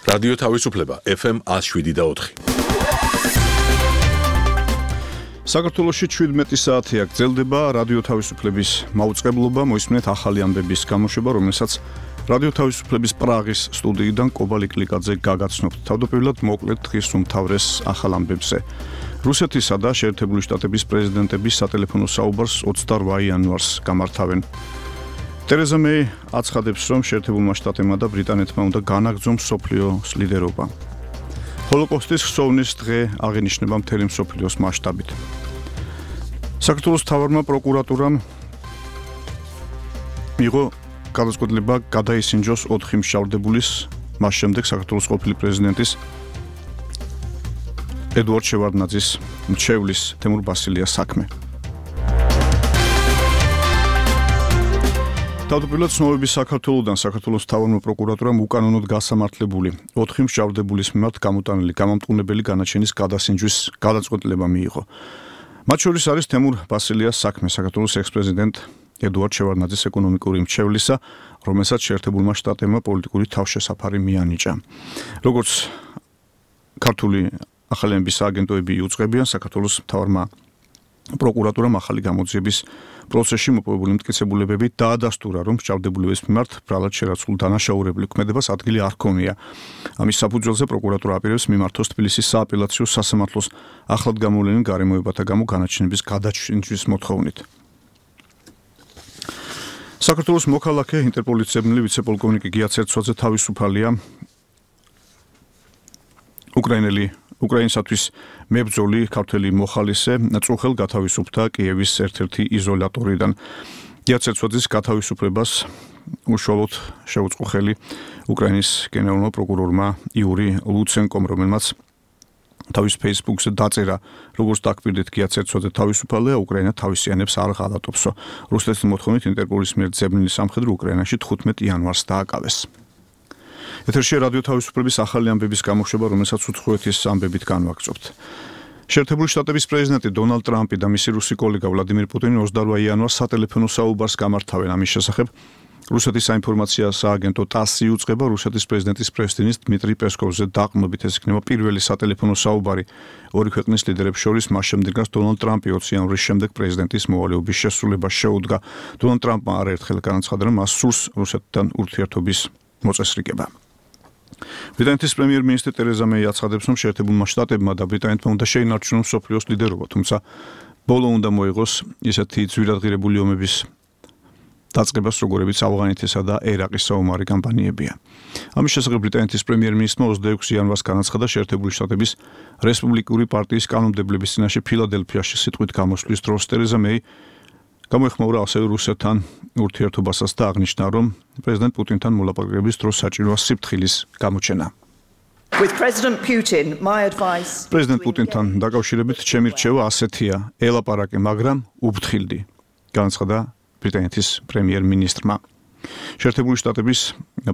რადიო თავისუფლება FM 107.4. საქართველოში 17 საათი აქ გრძელდება რადიო თავისუფლების მაუწყებლობა, მოისმენთ ახალი ამბების გამოშვება, რომელსაც რადიო თავისუფლების პრაღის სტუდიიდან კობალ იკლიკაძე გაგაცნობთ. თავდაპირველად მოკლედ დღის უმთავრეს ახალ ამბებზე. რუსეთისა და შეერთებული შტატების პრეზიდენტების სატელეფონო საუბარს 28 იანვარს გამართავენ. ტერეზა მეი აცხადებს, რომ შეერთებულმა შტატებმა და ბრიტანეთმა უნდა განაგრძონ მსოფლიოს ლიდერობა. ჰოლოკოსტის ხსოვნის დღე აღინიშნება მთელი მსოფლიოს მასშტაბით. საქართველოს მთავარმა პროკურატურამ მიიღო გადაწყვეტილება გადაისინჯოს 4 მშავდებულის, მას შემდეგ საქართველოს ყოფილი პრეზიდენტის ედუარდ შევარდნაძის მრჩევლის თემურ ბასილიას საქმე. თავდაპირველად ცნობების საქართველოდან საქართველოს მთავარმა პროკურატურამ უკანონოდ გასამართლებული 4 მშავდებულის მიმართ გამოტანილი გამამტყუნებელი განაჩენის გადასინჯვის გადაწყვეტილება მიიღო. მათ შორის არის თემურ ბასილიას საქმე, საქართველოს ექს-პრეზიდენტ ედუარდ შევარდნაძის ეკონომიკური მრჩევლისა, რომელსაც შეერთებულმა შტატებმა პოლიტიკური თავშესაფარი მიანიჭა. როგორც ქართული ახალი ამბების აგენტოები იუწყებიან, საქართველოს მთავარმა პროკურატურამ ახალი გამოძიების პროცესში მოპოვებული მტკიცებულებები დაადასტურა, რომ მშავდებულების მიმართ ბრალად შერაცხულ დანაშაულებული ქმედებას ადგილი არ ჰქონია. ამის საფუძველზე პროკურატურა აპირებს მიმართოს თბილისის სააპელაციო სასამართლოს ახლად გამოვლენილ გარემოებათა გამო განაჩენების გადაჩინჯვის მოთხოვნით. საქართველოს მოქალაქე ინტერპოლის ძებნელი ვიცე-პოლკოვნიკი გია ცერცვაძე თავისუფალია. უკრაინისათვის მებრძოლი ქართველი მოხალისე წუხელ გათავისუფლდა კიევის ერთ-ერთი იზოლატორიდან. გია ცერცვაძის გათავისუფლებას უშუალოდ შეუწყო ხელი უკრაინის გენერალურმა პროკურორმა იური ლუცენკომ, რომელმაც თავის ფეისბუქზე დაწერა, როგორც დაგპირდით გია ცერცვაძე თავისუფალია, უკრაინა თავისიანებს არ ღალატობსო. რუსეთის მოთხოვნით ინტერპოლის მიერ ძებნილი სამხედრო უკრაინაში 15 იანვარს დააკავეს. ეთერში რადიო თავისუფლების ახალი ამბების გამოშვება, რომელსაც უცხოეთის ამბებით განვაგრძობთ. შეერთებული შტატების პრეზიდენტი დონალდ ტრამპი და მისი რუსი კოლეგა ვლადიმირ პუტინი 28 იანვარს სატელეფონო საუბარს გამართავენ. ამის შესახებ რუსეთის საინფორმაციო სააგენტო TASS იუწყება, რუსეთის პრეზიდენტის პრესტინის დმიტრი პესკოვზე დაყრდნობით ეს იქნება პირველი სატელეფონო საუბარი ორი ქვეყნის ლიდერებს შორის, მას შემდეგ რაც დონალდ ტრამპი 20 იანვრის შემდეგ პრეზიდენტის მოვალეობის შესრულებას შეუდგა. დონალდ ტრამპმა არაერთხელ განაცხადა, რომ მას სურს რუსეთთან ურთიერთობის მოწესრიგება. ბრიტანეთის პრემიერ-მინისტრი ტერეზა მეი აცხადებს, რომ შეერთებულმა შტატებმა და ბრიტანეთმა უნდა შეინარჩუნონ მსოფლიოს ლიდერობა, თუმცა ბოლო უნდა მოიღოს ისეთი ძვირადღირებული ომების დაწყებას, როგორებიც ავღანეთისა და ერაყის საომარი კამპანიებია. ამის შესახებ ბრიტანეთის პრემიერ-მინისტრმა 26 იანვარს განაცხადა შეერთებული შტატების რესპუბლიკური პარტიის კანონმდებლობის წინაშე ფილადელფიაში სიტყვით გამოსვლის დროს. ტერეზა მეი გამოეხმაურა ასევე რუსეთთან ურთიერთობასაც და აღნიშნა, რომ პრეზიდენტ პუტინთან მოლაპარაკების დროს საჭიროა სიფრთხილის გამოჩენა. პრეზიდენტ პუტინთან დაკავშირებით ჩემი რჩევა ასეთია: ელაპარაკე, მაგრამ უბთხილდი, განაცხადა ბრიტანეთის პრემიერ-მინისტრმა. შეერთებული შტატების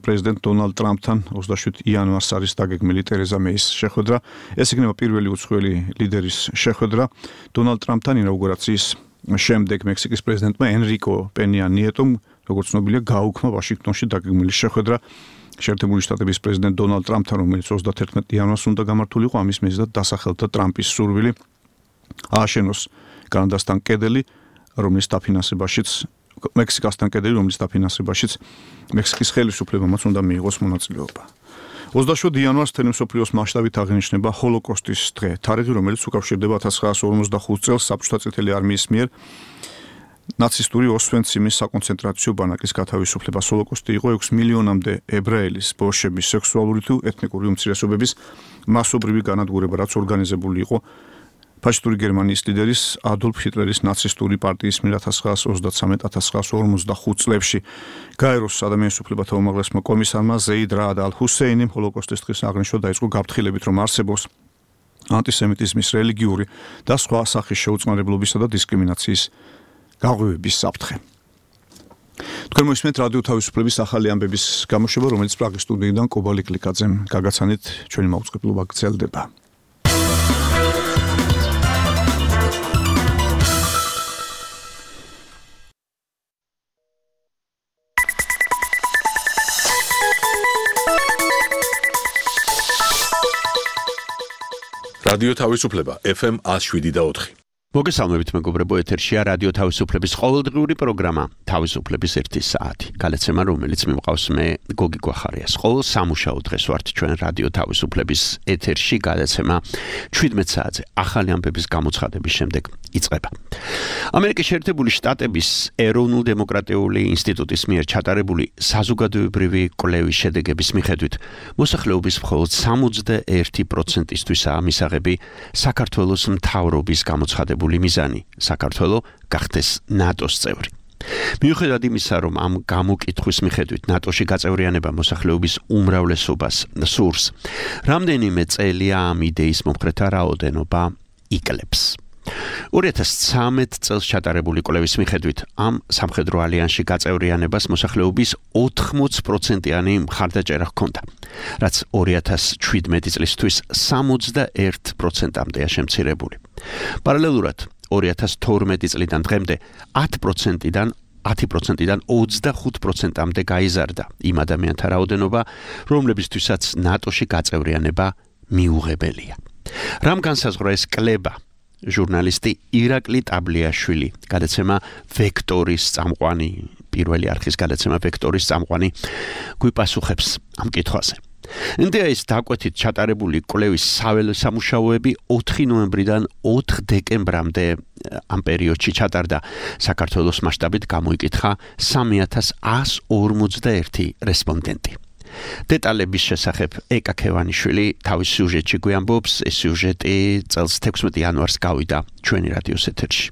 პრეზიდენტ დონალდ ტრამპთან 27 იანვარს არის დაგეგმილი ტერეზა მეის შეხვედრა. ეს იქნება პირველი უცხოელი ლიდერის შეხვედრა დონალდ ტრამპთან ინაუგურაციის შემდეგ. მექსიკის პრეზიდენტმა ენრიკო პენია ნიეტომ, როგორც ცნობილია, გაუქმა ვაშინგტონში დაგეგმილი შეხვედრა შეერთებული შტატების პრეზიდენტ დონალდ ტრამპთან, რომელიც 31 იანვარს უნდა გამართულიყო. ამის მიზნად დასახელდა ტრამპის სურვილი ააშენოს კანადასთან კედელი, რომლის დაფინანსებაშიც მექსიკასთან კედელი, რომლის დაფინანსებაშიც მექსიკის ხელისუფლებამაც უნდა მიიღოს მონაწილეობა. 27 იანვარს მთელი მსოფლიოს მასშტაბით აღინიშნება ჰოლოკოსტის დღე, თარიღი, რომელიც უკავშირდება 1945 წელს საბჭოთა წითელი არმიის მიერ ნაცისტური ოსვენციმის საკონცენტრაციო ბანაკის გათავისუფლებას. ჰოლოკოსტი იყო 6 მილიონამდე ებრაელის, ბოშების, სექსუალური თუ ეთნიკური უმცირესობების მასობრივი განადგურება, რაც ორგანიზებული იყო ფაშისტური გერმანიის ლიდერის ადოლფ ჰიტლერის ნაცისტური პარტიის მიერ 1933-1945 წლებში. გაეროს ადამიანის უფლებათა უმაღლესმა კომისარმა ზეიდ რაად ალ-ჰუსეინიმ ჰოლოკოსტის დღის აღნიშვნა დაიწყო გაფრთხილებით, რომ არსებობს ანტისემიტიზმის, რელიგიური და სხვა სახის შეუწყნარებლობისა და დისკრიმინაციის გაღვივების საფრთხე. თქვენ მოისმენთ რადიო თავისუფლების ახალი ამბების გამოშვება, რომელიც პრაღის სტუდიიდან კობალ იკლიკაძემ გაგაცანით. ჩვენი მაუწყებლობა გრძელდება. რადიო თავისუფლება FM 107.4. მოგესალმებით მეგობრებო, ეთერშია რადიო თავისუფლების ყოველდღიური პროგრამა თავისუფლების 1 საათი. გალეცემა, რომელიც მიმყავს მე გოგი გვახარიას. ყოველ სამუშაო დღეს ვართ ჩვენ რადიო თავისუფლების ეთერში, გალეცემა 17 საათზე ახალი ამბების გამოცხადების შემდეგ იწყება. ამერიკის შეერთებული შტატების ეროვნულ დემოკრატიული ინსტიტუტის მიერ ჩატარებული საზოგადოებრივი კვლევის შედეგების მიხედვით, მოსახლეობის მხოლოდ 61%-ისთვისაა მისაღები საქართველოს მთავრობის გამოცხადებული მიზანი საქართველო გახდეს ნატოს წევრი. მიუხედავად იმისა, რომ ამ გამოკითხვის მიხედვით ნატოში გაწევრიანება მოსახლეობის უმრავლესობას სურს, რამდენიმე წელია ამ იდეის მომხრეთა რაოდენობა იკლებს. 2013 წელს ჩატარებული კვლევის მიხედვით, ამ სამხედრო ალიანსში გაწევრიანებას მოსახლეობის 80%-იანი მხარდაჭერა ჰქონდა, რაც 2017 წლისთვის 61%-ამდეა შემცირებული. პარალელურად 2012 წლიდან დღემდე 10%-დან 25%-ამდე გაიზარდა იმ ადამიანთა რაოდენობა, რომლებისთვისაც ნატოში გაწევრიანება მიუღებელია. რამ განსაზღვრა ეს კლება? ჟურნალისტი ირაკლი ტაბლიაშვილი, გადაცემა ვექტორის წამყვანი, პირველი არხის გადაცემა ვექტორის წამყვანი, გვიპასუხებს ამ კითხვაზე. NDA-ის დაკვეთით ჩატარებული კვლევის საველე სამუშაოები 4 ნოემბრიდან 4 დეკემბრამდე ამ პერიოდში ჩატარდა. საქართველოს მასშტაბით გამოიკითხა 3141 რესპონდენტი. დეტალების შესახებ ეკა ქევანიშვილი თავის სიუჟეტში გვიამბობს. ეს სიუჟეტი წელს 16 იანვარს გავიდა ჩვენი რადიოს ეთერში.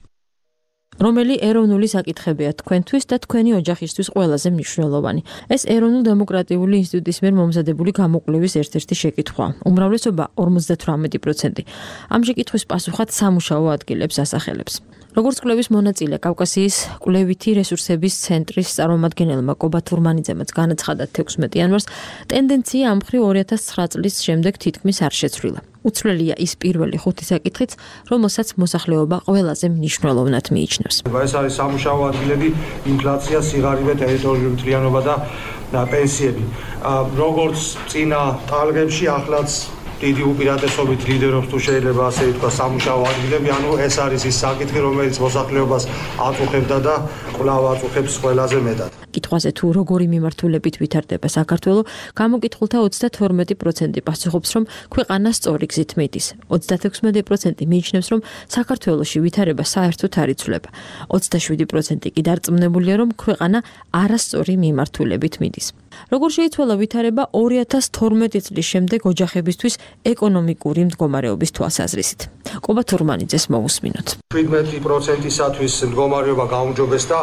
რომელი ეროვნული საკითხებია თქვენთვის და თქვენი ოჯახისთვის ყველაზე მნიშვნელოვანი? ეს ეროვნულ დემოკრატიული ინსტიტუტის მიერ მომზადებული გამოკვლევის ერთ-ერთი შეკითხვა. უმრავლესობა 58%. ამ შეკითხვის პასუხად სამუშაო ადგილებს ასახელებს. როგორც კვლევის მონაწილე კავკასიის კვლევითი რესურსების ცენტრის წარმომადგენელმა კობა თურმანიძემაც განაცხადა 16 იანვარს, ტენდენცია ამ მხრივ 2009 წლის შემდეგ თითქმის არ შეცვლილა. უცვლელია ის პირველი 5 საკითხიც, რომელსაც მოსახლეობა ყველაზე მნიშვნელოვნად მიიჩნევს. ეს არის სამუშაო ადგილები, ინფლაცია, სიღარიბე, ტერიტორიული მთლიანობა და პენსიები. როგორც წინა ტალღებში, ახლაც დიდი უპირატესობით ლიდერობს თუ შეიძლება ასე ვთქვა სამუშაო ადგილები, ანუ ეს არის ის საკითხი, რომელიც მოსახლეობას აწუხებდა და კვლავ აწუხებს ყველაზე მეტად. კითხვაზე თუ როგორი მიმართულებით ვითარდება საქართველო, გამოკითხულთა 32% პასუხობს, რომ ქვეყანა სწორი გზით მიდის. 36% მიიჩნევს, რომ საქართველოში ვითარება საერთოდ არ იცვლება. 27% კი დარწმუნებულია, რომ ქვეყანა არასწორი მიმართულებით მიდის. როგორ შეიცვალა ვითარება 2012 წლის შემდეგ ოჯახებისთვის ეკონომიკური მდგომარეობის თვალსაზრისით? კობა თურმანიძეს მოусმინოთ. 17%-ისათვის მდგომარეობა გაუმჯობესდა,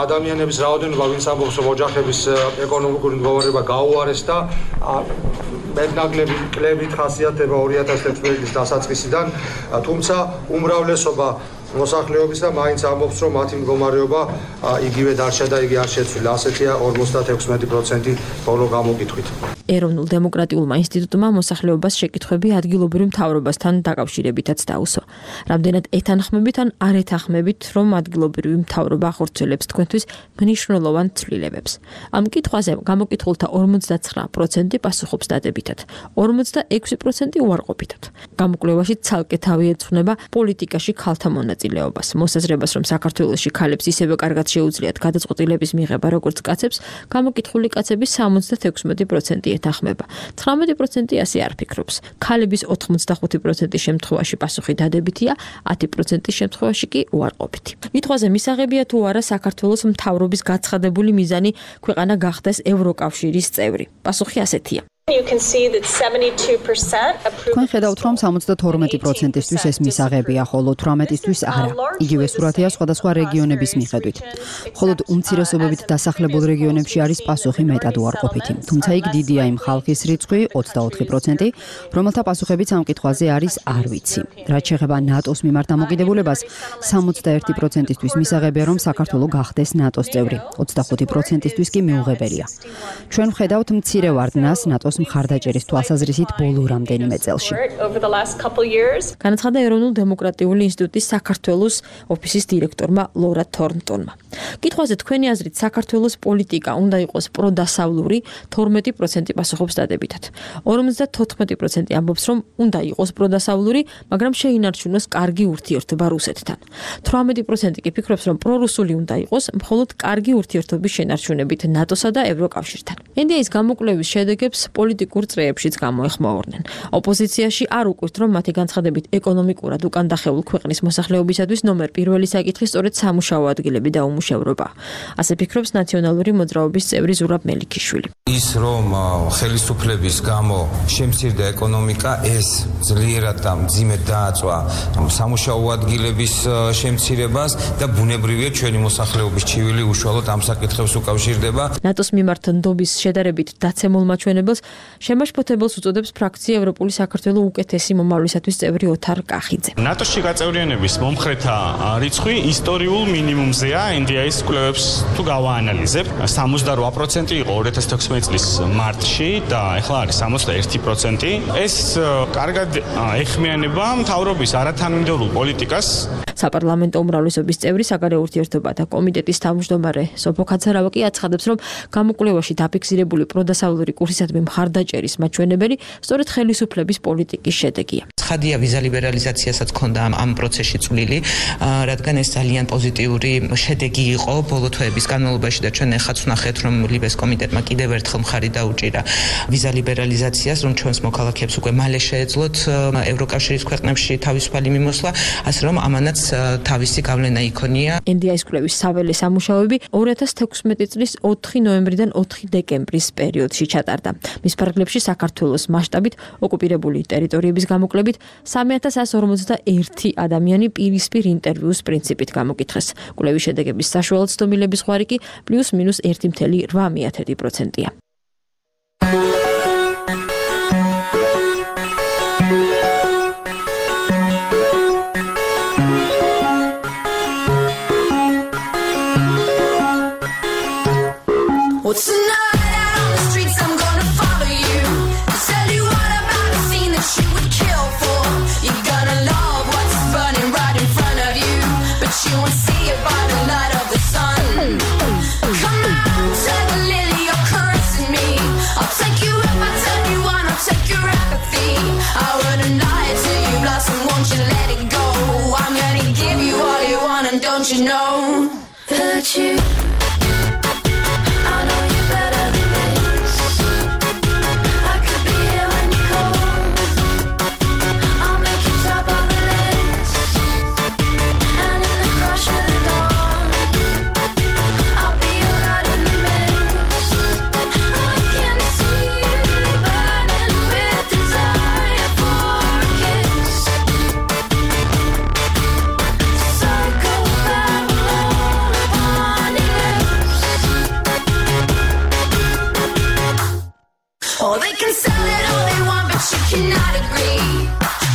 ადამიანების რაოდენობა, ვინც ამბობს, რომ ოჯახების ეკონომიკური მდგომარეობა გაუარეს და მეტნაკლები კლებით ხასიათდება 2011 წლის დასაწყისიდან, თუმცა უმრავლესობა მოსახლეობის და მაინც ამბობს, რომ მათი მდგომარეობა იგივე დარჩა და იგი არ შეცვლილა. ასეთია 56% ბოლო გამოკითხვით. ეროვნულ დემოკრატიულმა ინსტიტუტმა მოსახლეობას შეკითხვები ადგილობრივ მთავრობასთან დაკავშირებითაც დაუსვა. რამდენად ეთანხმებით ან არ ეთანხმებით, რომ ადგილობრივი მთავრობა ახორციელებს თქვენთვის მნიშვნელოვან ცვლილებებს. ამ კითხვაზე გამოკითხულთა 59% პასუხობს დადებითად, 46% უარყოფითად. გამოკვლევაში ცალკე თავი ეძღვნება პოლიტიკაში ქალთა მონაწილეობას, მოსაზრებას, რომ საქართველოში ქალებს ისევე კარგად შეუძლიათ გადაწყვეტილების მიღება, როგორც კაცებს, გამოკითხული კაცების 76% ეთანხმება. 19% ასე არ ფიქრობს. ქალების 85% შემთხვევაში პასუხი დადებითია, 10% შემთხვევაში კი უარყოფითი. კითხვაზე მისაღებია თუ არა საქართველოს მთავრობის გაცხადებული მიზანი ქვეყანა გახდეს ევროკავშირის წევრი. პასუხი ასეთია. თქვენ ხედავთ, რომ 72%-ისთვის ეს მისაღებია, ხოლო 18%-ისთვის არა. იგივე სურათია სხვადასხვა რეგიონების მიხედვით. მხოლოდ უმცირესობებით დასახლებულ რეგიონებში არის პასუხი მეტად უარყოფითი. თუმცა იქ დიდია იმ ხალხის რიცხვი, 24%, რომელთა პასუხებიც ამ კითხვაზე არის არ ვიცი. რაც შეეხება ნატოს მიმართ დამოკიდებულებას, 61%-ისთვის მისაღებია, რომ საქართველო გახდეს ნატოს წევრი, 25%-ისთვის კი მიუღებელია. ჩვენ ვხედავთ მცირე ვარდნას ნატოს საქართველოს მხარდაჭერის თვალსაზრისით ბოლო რამდენიმე წელში. განაცხადა ეროვნულ დემოკრატიული ინსტიტუტის საქართველოს ოფისის დირექტორმა ლორა თორნტონმა. კითხვაზე თქვენი აზრით საქართველოს პოლიტიკა უნდა იყოს პროდასავლური 12% პასუხობს დადებითად. 54% ამბობს, რომ უნდა იყოს პროდასავლური, მაგრამ შეინარჩუნოს კარგი ურთიერთობა რუსეთთან. 18% კი ფიქრობს, რომ პრორუსული უნდა იყოს, მხოლოდ კარგი ურთიერთობის შენარჩუნებით ნატოსა და ევროკავშირთან. NDI-ის გამოკვლევის შედეგებს პოლიტიკურ წრეებშიც გამოეხმაურნენ. ოპოზიციაში არ უკვირთ, რომ მათი განცხადებით ეკონომიკურად უკან დახეულ ქვეყნის მოსახლეობისათვის ნომერ პირველი საკითხი სწორედ სამუშაო ადგილები და უმუშევრობა. ასე ფიქრობს ნაციონალური მოძრაობის წევრი ზურაბ მელიქიშვილი. ის რომ ხელისუფლების გამო შემცირდა ეკონომიკა, ეს ძლიერად და მძიმედ დააწვა სამუშაო ადგილების შემცირებას და ბუნებრივია ჩვენი მოსახლეობის ჩივილი უშუალოდ ამ საკითხებს უკავშირდება. ნატოს მიმართ ნდობის შედარებით დაცემულ მაჩვენებელს შემაშფოთებელს უწოდებს ფრაქცია ევროპული საქართველოს უკეთესი მომავლისათვის წევრი ოთარ კახიძე. ნატოში გაწევრიანების მომხრეთა რიცხვი ისტორიულ მინიმუმზეა NDI-ის კვლევებს თუ გავაანალიზებ. 78% იყო 2016 წლის მარტში და ახლა არის 61%. ეს კარგად ეხმიანება მთავრობის არათანმიმდევრულ პოლიტიკას. საპარლამენტო უმრავლესობის წევრი საგარეო ურთიერთობათა კომიტეტის თავმჯდომარე სოფო ქაცარავა კი აცხადებს, რომ გამოკვლევაში დაფიქსირებული პროდასავლური კურსისადმი მხარდაჭერის მაჩვენებელი სწორედ ხელისუფლების პოლიტიკის შედეგია. ცხადია ვიზა ლიბერალიზაციასაც ჰქონდა ამ პროცესში წვლილი, რადგან ეს ძალიან პოზიტიური შედეგი იყო ბოლო თვეების განმავლობაში და ჩვენ ახაც ვნახეთ, რომ ლიბეს კომიტეტმა კიდევ ერთხელ მხარი დაუჭირა ვიზა ლიბერალიზაციას, რომ ჩვენს მოქალაქეებს უკვე მალე შეეძლოთ ევროკავშირის ქვეყნებში თავისუფალი მიმოსვლა, ასე რომ ამანაც თავისი გავლენა იქონია. NDI-ის კვლევის საველე სამუშაოები 2016 წლის 4 ნოემბრიდან 4 დეკემბრის პერიოდში ჩატარდა. მის ფარგლებში საქართველოს მასშტაბით ოკუპირებული ტერიტორიების გამოკვლევით 3141 ადამიანი პირისპირ ინტერვიუს პრინციპით გამოკითხეს. კვლევის შედეგების საშუალო ცდომილების ხვარი კი +- 1.8%-ია. What's tonight out on the streets? I'm gonna follow you. Tell you what about a scene that you would kill for. You're gonna love what's burning right in front of you, but you won't see it by the light of the sun. Come on, take a lily, you're caressing me. I'll take you if I tell you one, I'll take your apathy. I wouldn't lie to you, blossom, won't you let it go? I'm gonna give you all you want, and don't you know that you cannot agree.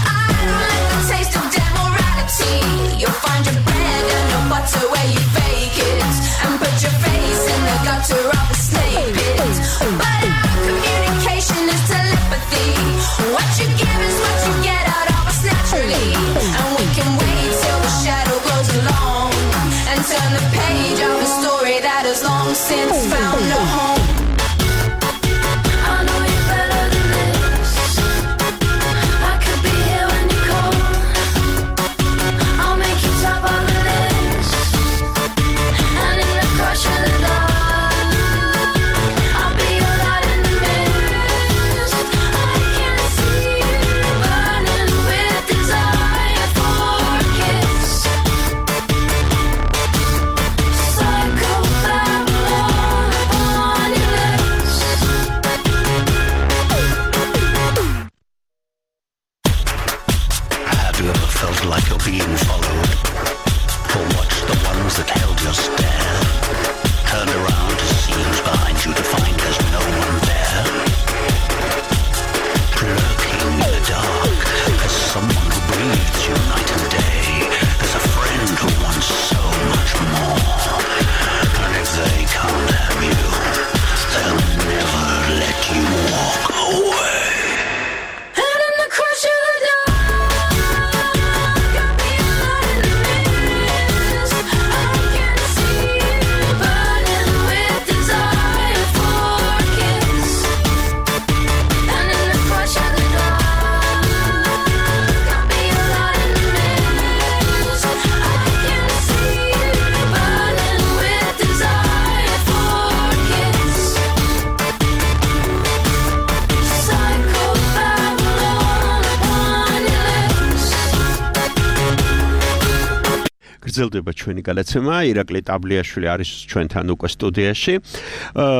I don't like the taste of demorality. You'll find your bread and your butter where you bake it, and put your face in the gutter of a snake pit. But our communication is telepathy. What you give is what you get out of us naturally. And we can wait till the shadow grows along and turn the page of a story that has long since found a home. Psycho Babylon. გრძელდება ჩვენი გადაცემა. ირაკლი ტაბლიაშვილი არის ჩვენთან უკვე სტუდიაში.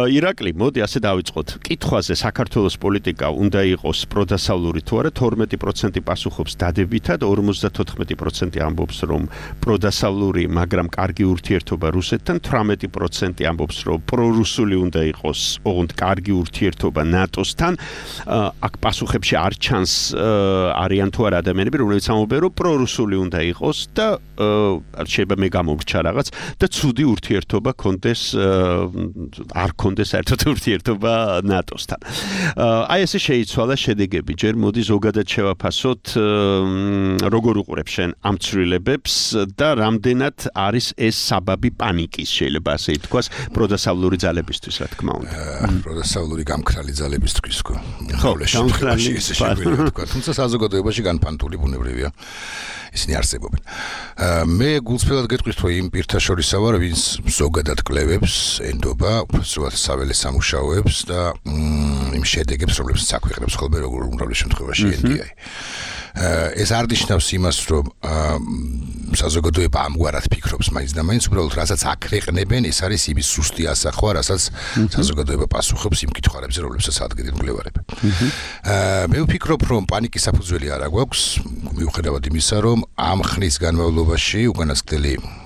ირაკლი, მოდი ასე დავიწყოთ. კითხვაზე საქართველოს პოლიტიკა უნდა იყოს პროდასავლური თუ არა, 12% პასუხობს დადებითად, 54% ამბობს რომ პროდასავლური, მაგრამ კარგი ურთიერთობა რუსეთთან, 18% ამბობს რომ პრორუსული უნდა იყოს, ოღონდ კარგი ურთიერთობა ნატოსთან. აქ პასუხებში არ ჩანს არიან თუ არა ადამიანები, რომლებიც ამბობენ რომ პრორუსული უნდა იყოს და შეიძლება მე გამომრჩა რაღაც და ცუდი ურთიერთობა კონდეს არ კონდეს საერთოდ ურთიერთობა ნატოსთან. აი ესე შეიცვალა შედეგები. ჯერ მოდი ზოგადად შევაფასოთ როგორ უყურებ შენ ამ ცვლილებებს და რამდენად არის ეს საბაბი პანიკის შეიძლება ასე ითქვას პროდასავლური ძალებისთვის რა თქმა უნდა. პროდასავლური გამქრალი ძალებისთვის ხო. გამქრალი ესე შეგვიძლია თქვა. თუმცა საზოგადოებაში განფანტული ბუნებრივია. ისინი არსებობენ. მე გულწრფელად გეტყვის თუ იმ პირთა შორისა ვარ, ვინც ზოგადად კლევებს, ენდობა, უბრალოდ საველე სამუშაოებს და იმ შედეგებს, რომლებსაც აქვეყნებს ხოლმე როგორ უმრავლეს შემთხვევაში NDI. ეს არ ნიშნავს იმას, რომ საზოგადოება ამგვარად ფიქრობს მაინც და მაინც, უბრალოდ რასაც აქვეყნებენ, ეს არის იმის ზუსტი ასახვა, რასაც საზოგადოება პასუხობს იმ კითხვებზე, რომლებსაც ადგენენ მკვლევარები. მე ვფიქრობ, რომ პანიკის საფუძველი არ აქვს, მიუხედავად იმისა, რომ ამ ხნის განმავლობაში უკანასკნელი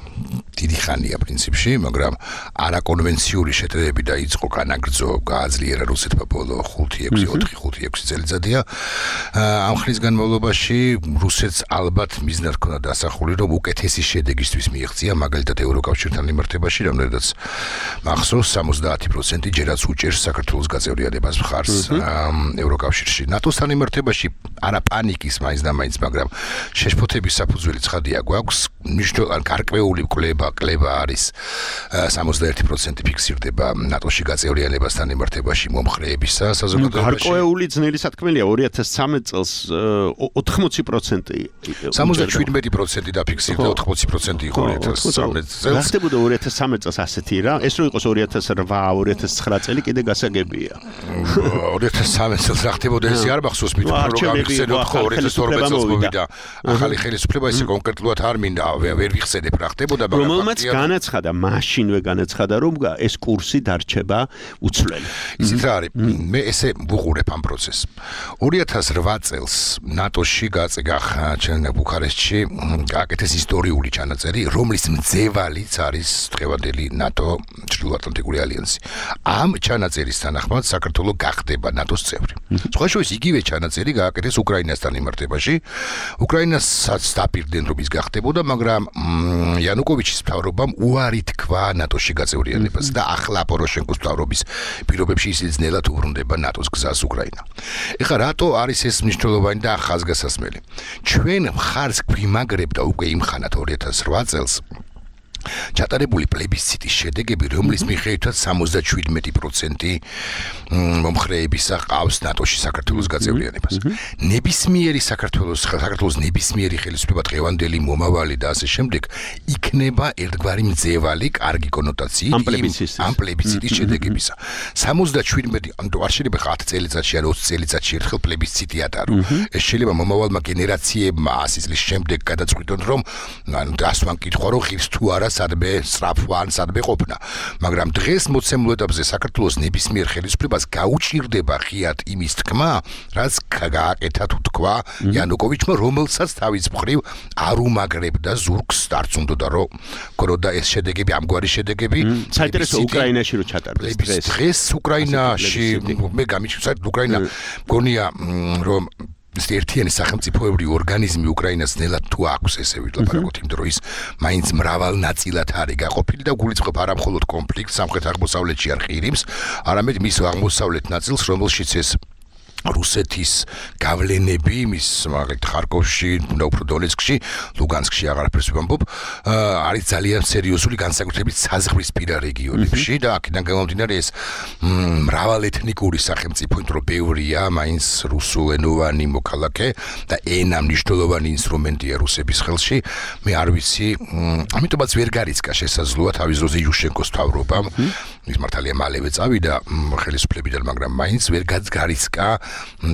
დიდი ხანია პრინციპში, მაგრამ არაკონვენციური შეტევები დაიწყო განაგრძო, გააძლიერა რუსეთმა ბოლო 4-6 წელიწადია. ამ ხნის განმავლობაში რუსეთს ალბათ მიზნად ჰქონდა დასახული, რომ უკეთესი შედეგისთვის მიიღწია, მაგალითად ევროკავშირთან მიმართებაში, რამდენადაც მახსოვს 70% ჯერაც უჭერს საქართველოს გაწევრიანებას მხარს ევროკავშირში. ნატოსთან მიმართებაში არა პანიკის მაინც და მაინც, მაგრამ შეშფოთების საფუძველი ცხადია გვაქვს, მნიშვნელოვანი გარკვეული კლება არის 71% ფიქსირდება ნატოში გაწევრიანებასთან მიმართებაში მომხრეებისა საზოგადოებაში. გარკვეული ძნელი სათქმელია 2013 წელს 80% 77% დაფიქსირდა 80% იყო 2013 წელს. რა ხდებოდა 2013 წელს ასეთი რა? ეს რო იყოს 2008-2009 წელი კიდე გასაგებია. 2013 წელს რა ხდებოდა ესე არ მახსოვს მით რომ გავიხსენოთ ხო 2012 წელს მოვიდა. ახალი ხელისუფლება ისე კონკრეტულად არ მინდა ვერ ვიხსენებ რა ხდებოდა მაგრამ რომელმაც განაცხადა, მაშინვე განაცხადა, რომ ეს კურსი დარჩება უცვლელი. ისიც რა არის, მე ესე ვუყურებ ამ პროცესს. 2008 წელს ნატოში ჩანა ბუქარესტში გააკეთეს ისტორიული ჩანაწერი, რომლის მძევალიც არის დღევანდელი ნატო ჩრდილოატლანტიკური ალიანსი. ამ ჩანაწერის თანახმად საქართველო გახდება ნატოს წევრი. სხვა შორის იგივე ჩანაწერი გააკეთეს უკრაინასთან მიმართებაში. უკრაინასაც დაპირდნენ რომ ის გახდებოდა, მაგრამ იანუკოვიჩის მთავრობამ უარი თქვა ნატოში გაწევრიანებას და ახლა პოროშენკოს მთავრობის პირობებში ისიც ძნელად უბრუნდება ნატოს გზას უკრაინა. ეხლა რატო არის ეს მნიშვნელოვანი და ხაზგასასმელი? ჩვენ მხარს გვიმაგრებ და უკვე იმხანად 2008 წელს ჩატარებული პლებისციტის შედეგები, რომლის მიხედვითაც 77% მომხრეებისა ყავს ნატოში საქართველოს გაწევრიანებას. ნებისმიერი საქართველოს ნებისმიერი ხელისუფლება დღევანდელი მომავალი და ასე შემდეგ იქნება ერთგვარი მძევალი კარგი კონოტაციით ამ პლებისციტის შედეგებისა. 77 არ შეიძლება 10 წელიწადში ან 20 წელიწადში ერთხელ პლებისციტი ატარო. ეს შეიძლება მომავალმა გენერაციებმა 100 წლის შემდეგ გადაწყვიტონ, რომ დასვან კითხვა რომ ღირს თუ არა სადმე სწრაფვან სადმე ყოფნა, მაგრამ დღეს მოცემულ ეტაპზე საქართველოს ნებისმიერ ხელისუფლებას გაუჭირდება ღიად იმის თქმა, რაც გააკეთა თუ თქვა იანუკოვიჩმა, რომელსაც თავის მხრივ არ უმაგრებდა ზურგს, არც უნდოდა რომ ქონოდა ეს შედეგები, ამგვარი შედეგები. საინტერესო უკრაინაში რო ჩატარდეს დღეს უკრაინაში მე გამიჩნდა უკრაინა გონია რომ ერთიანი სახელმწიფოებრივი ორგანიზმი უკრაინას ნელად თუ აქვს ესე ვილაპარაკოთ იმ დროის მაინც მრავალ ნაწილად არის გაყოფილი და გულისხმობ არა მხოლოდ კონფლიქტს სამხრეთ-აღმოსავლეთში არ ყირიმს, არამედ მის აღმოსავლეთ ნაწილს, რომელშიც ეს რუსეთის გავლენები მის მაგალითად ხარკოვში, უფრო დონეცკში, ლუგანსკში აღარაფერს ვამბობ, არის ძალიან სერიოზული განსაკუთრებით საზღვრისპირა რეგიონებში და აქედან გამომდინარე ეს მრავალეთნიკური სახელმწიფო, იმიტომ რომ ბევრია მაინც რუსულენოვანი მოქალაქე და ენა მნიშვნელოვანი ინსტრუმენტია რუსების ხელში. მე არ ვიცი, ამიტომაც ვერ გარიცხა შესაძლოა თავის დროზე იუშენკოს მთავრობამ ის მართალია მალევე წავიდა ხელისუფლებიდან, მაგრამ მაინც ვერ გარისკა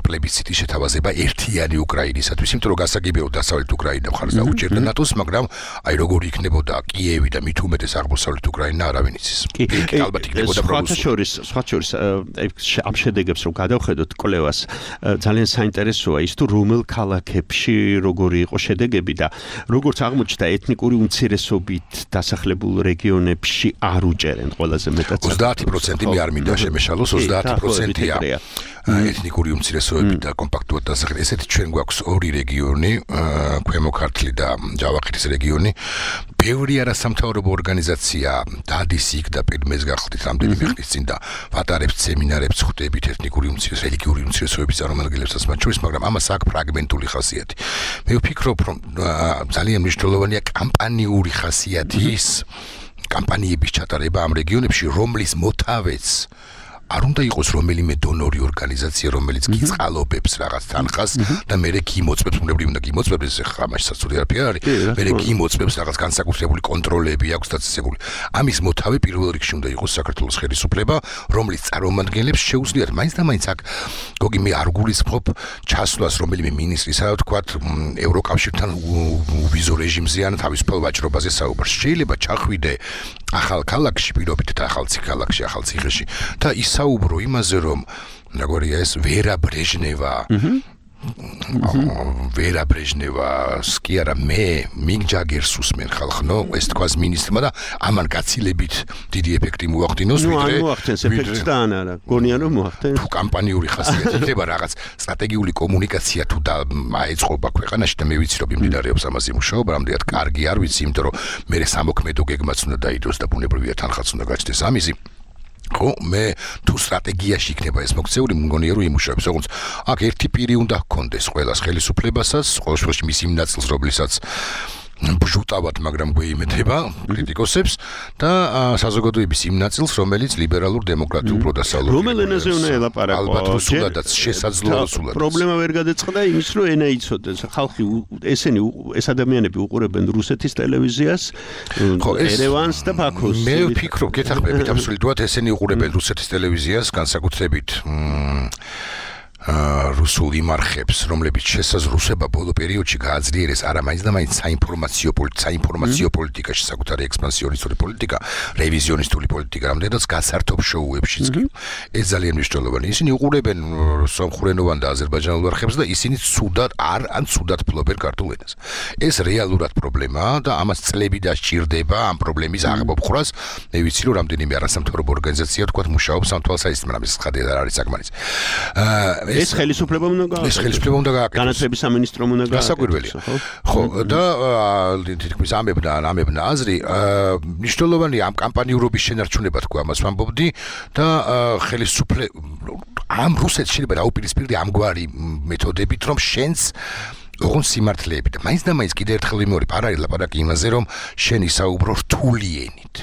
პლებიციტის შეთავაზება ერთიანი უკრაინისათვის, იმიტომ რომ გასაგებია დასავლეთ უკრაინა მხარს დაუჭერდა ნატოს, მაგრამ აი როგორი იქნებოდა კიევი და მით უმეტეს აღმოსავლეთ უკრაინა არავინ იცის. კი, ალბათ იქნებოდა პრობლემა. სხვა შორის ამ შედეგებს რომ გადავხედოთ კვლევას, ძალიან საინტერესოა ის თუ რომელ ქალაქებში როგორი იყო შედეგები და როგორც აღმოჩნდა ეთნიკური უმცირესობით დასახლებულ რეგიონებში არ უჭერენ ყველაზე მეტად 30% მე არ მინდა შემეშალოს 30%-ია ეთნიკური უმცირესობები და კომპაქტურად დასახლებული. ესეთი ჩვენ გვაქვს ორი რეგიონი, ქვემო ქართლი და ჯავახეთის რეგიონი. ბევრი არასამთავრობო ორგანიზაცია დადის იქ და პირმეს გახდით რამდენიმე ხნის წინ და ვატარებს სემინარებს, ხვდებით ეთნიკური რელიგიური უმცირესობების წარმომადგენლებსაც მათ შორის, მაგრამ ამას აქვს ფრაგმენტული ხასიათი. მე ვფიქრობ, რომ ძალიან მნიშვნელოვანია კამპანიური ხასიათის კამპანიების ჩატარება ამ რეგიონებში, რომლის მოთავეც არ უნდა იყოს რომელიმე დონორი ორგანიზაცია, რომელიც გიწყალობებს რაღაც თანხას და მერე გიმოწმებს, უნებრივი უნდა გიმოწმებს, ხა მაშინ საწური არაფერი არის, მერე გიმოწმებს რაღაც განსაკუთრებული კონტროლები აქვს დაწესებული. ამის მოთავე პირველ რიგში უნდა იყოს საქართველოს ხელისუფლება, რომლის წარმომადგენლებს შეუძლიათ მაინც და მაინც აქ გოგი მე არ გულისხმობ ჩასვლას რომელიმე მინისტრის, რა ვთქვათ, ევროკავშირთან ვიზო რეჟიმზე ან თავისუფალ ვაჭრობაზე საუბარს. შეიძლება ჩახვიდე ახალ ქალაქში, პირობით ახალ ქალაქში, ახალ ციხეში და ისაუბრო იმაზე, რომ როგორია ეს ვერა ბრეჟნევა კი არა მე მიგ ჯაგერს უსმენ ხალხნო ეს თქვას მინისტრმა და ამან გაცილებით დიდი ეფექტი მოახდინოს ვიდრე მოახდენს ეფექტს და ან არა გონიან რომ მოახდენს თუ კამპანიური ხასიათი იქნება რაღაც სტრატეგიული კომუნიკაცია თუ აეწყობა ქვეყანაში და მე ვიცი რომ იმდიდარებს ამაზე მუშაობა რამდენად კარგი არ ვიცი იმიტომ რომ მე სამოქმედო გეგმაც უნდა დაიდოს და ბუნებრივია თანხაც უნდა გაჩნდეს ამისი ხო მე თუ სტრატეგიაში იქნება ეს მოქცეული მგონია რომ იმუშავებს როგორც აქ ერთი პირი უნდა ჰქონდეს ყველას ხელისუფლებასაც ყოველ შემთხვევაში მის იმ ნაწილს რომლისაც ბჟუტავად მაგრამ გვეიმეთება კრიტიკოსებს და საზოგადოების იმ ნაწილს რომელიც ლიბერალურ დემოკრატიულ პროდასალურ რომელ ენაზე უნდა ელაპარაკო ალბათ რუსულადაც შესაძლოა რუსულად პრობლემა ვერ გადაწყდა იმის რომ ენა იცოდეს ხალხი ესენი ეს ადამიანები უყურებენ რუსეთის ტელევიზიას ერევანს და ბაქოს მე ვფიქრობ გეთახმებით აბსოლუტურად ესენი უყურებენ რუსეთის ტელევიზიას განსაკუთრებით რუსულ იმარხებს, რომლებიც შესაძლოა ბოლო პერიოდში გააძლიერეს არა მაინც და მაინც საინფორმაციო პოლიტიკაში, საკუთარი ექსპანსიონისტური პოლიტიკა, რევიზიონისტული პოლიტიკა, რამდენადაც გასართობ შოუებშიც კი. ეს ძალიან მნიშვნელოვანია. ისინი უყურებენ სომხურენოვან და აზერბაიჯანულ არხებს და ისინი ცუდად ფლობენ ქართულ ენას. ეს რეალურად პრობლემაა და ამას წლები დასჭირდება ამ პრობლემის აღმოფხვრას. მე ვიცი რომ რამდენიმე არასამთავრობო ორგანიზაცია თქვათ მუშაობს ამ თვალსაჩინო, მაგრამ ეს ხადი არ არის საკმარისი. ეს ხელისუფლება უნდა გააკეთოს. განათლების სამინისტრომ უნდა გააკეთოს. გასაკვირველია. ხო, და თითქმის ამებნა აზრი, მნიშვნელოვანია ამ კამპანიურობის შენარჩუნება თქვა ამას ვამბობდი და ამ რუსეთს შეიძლება დაუპირისპირდე ამგვარი მეთოდებით, რომ შენს ოღონდ სიმართლეები და მაინც და მაინც კიდევ ერთხელ ვიმეორებ, არ არის ლაპარაკი იმაზე, რომ შენ ისაუბრო რთული ენით.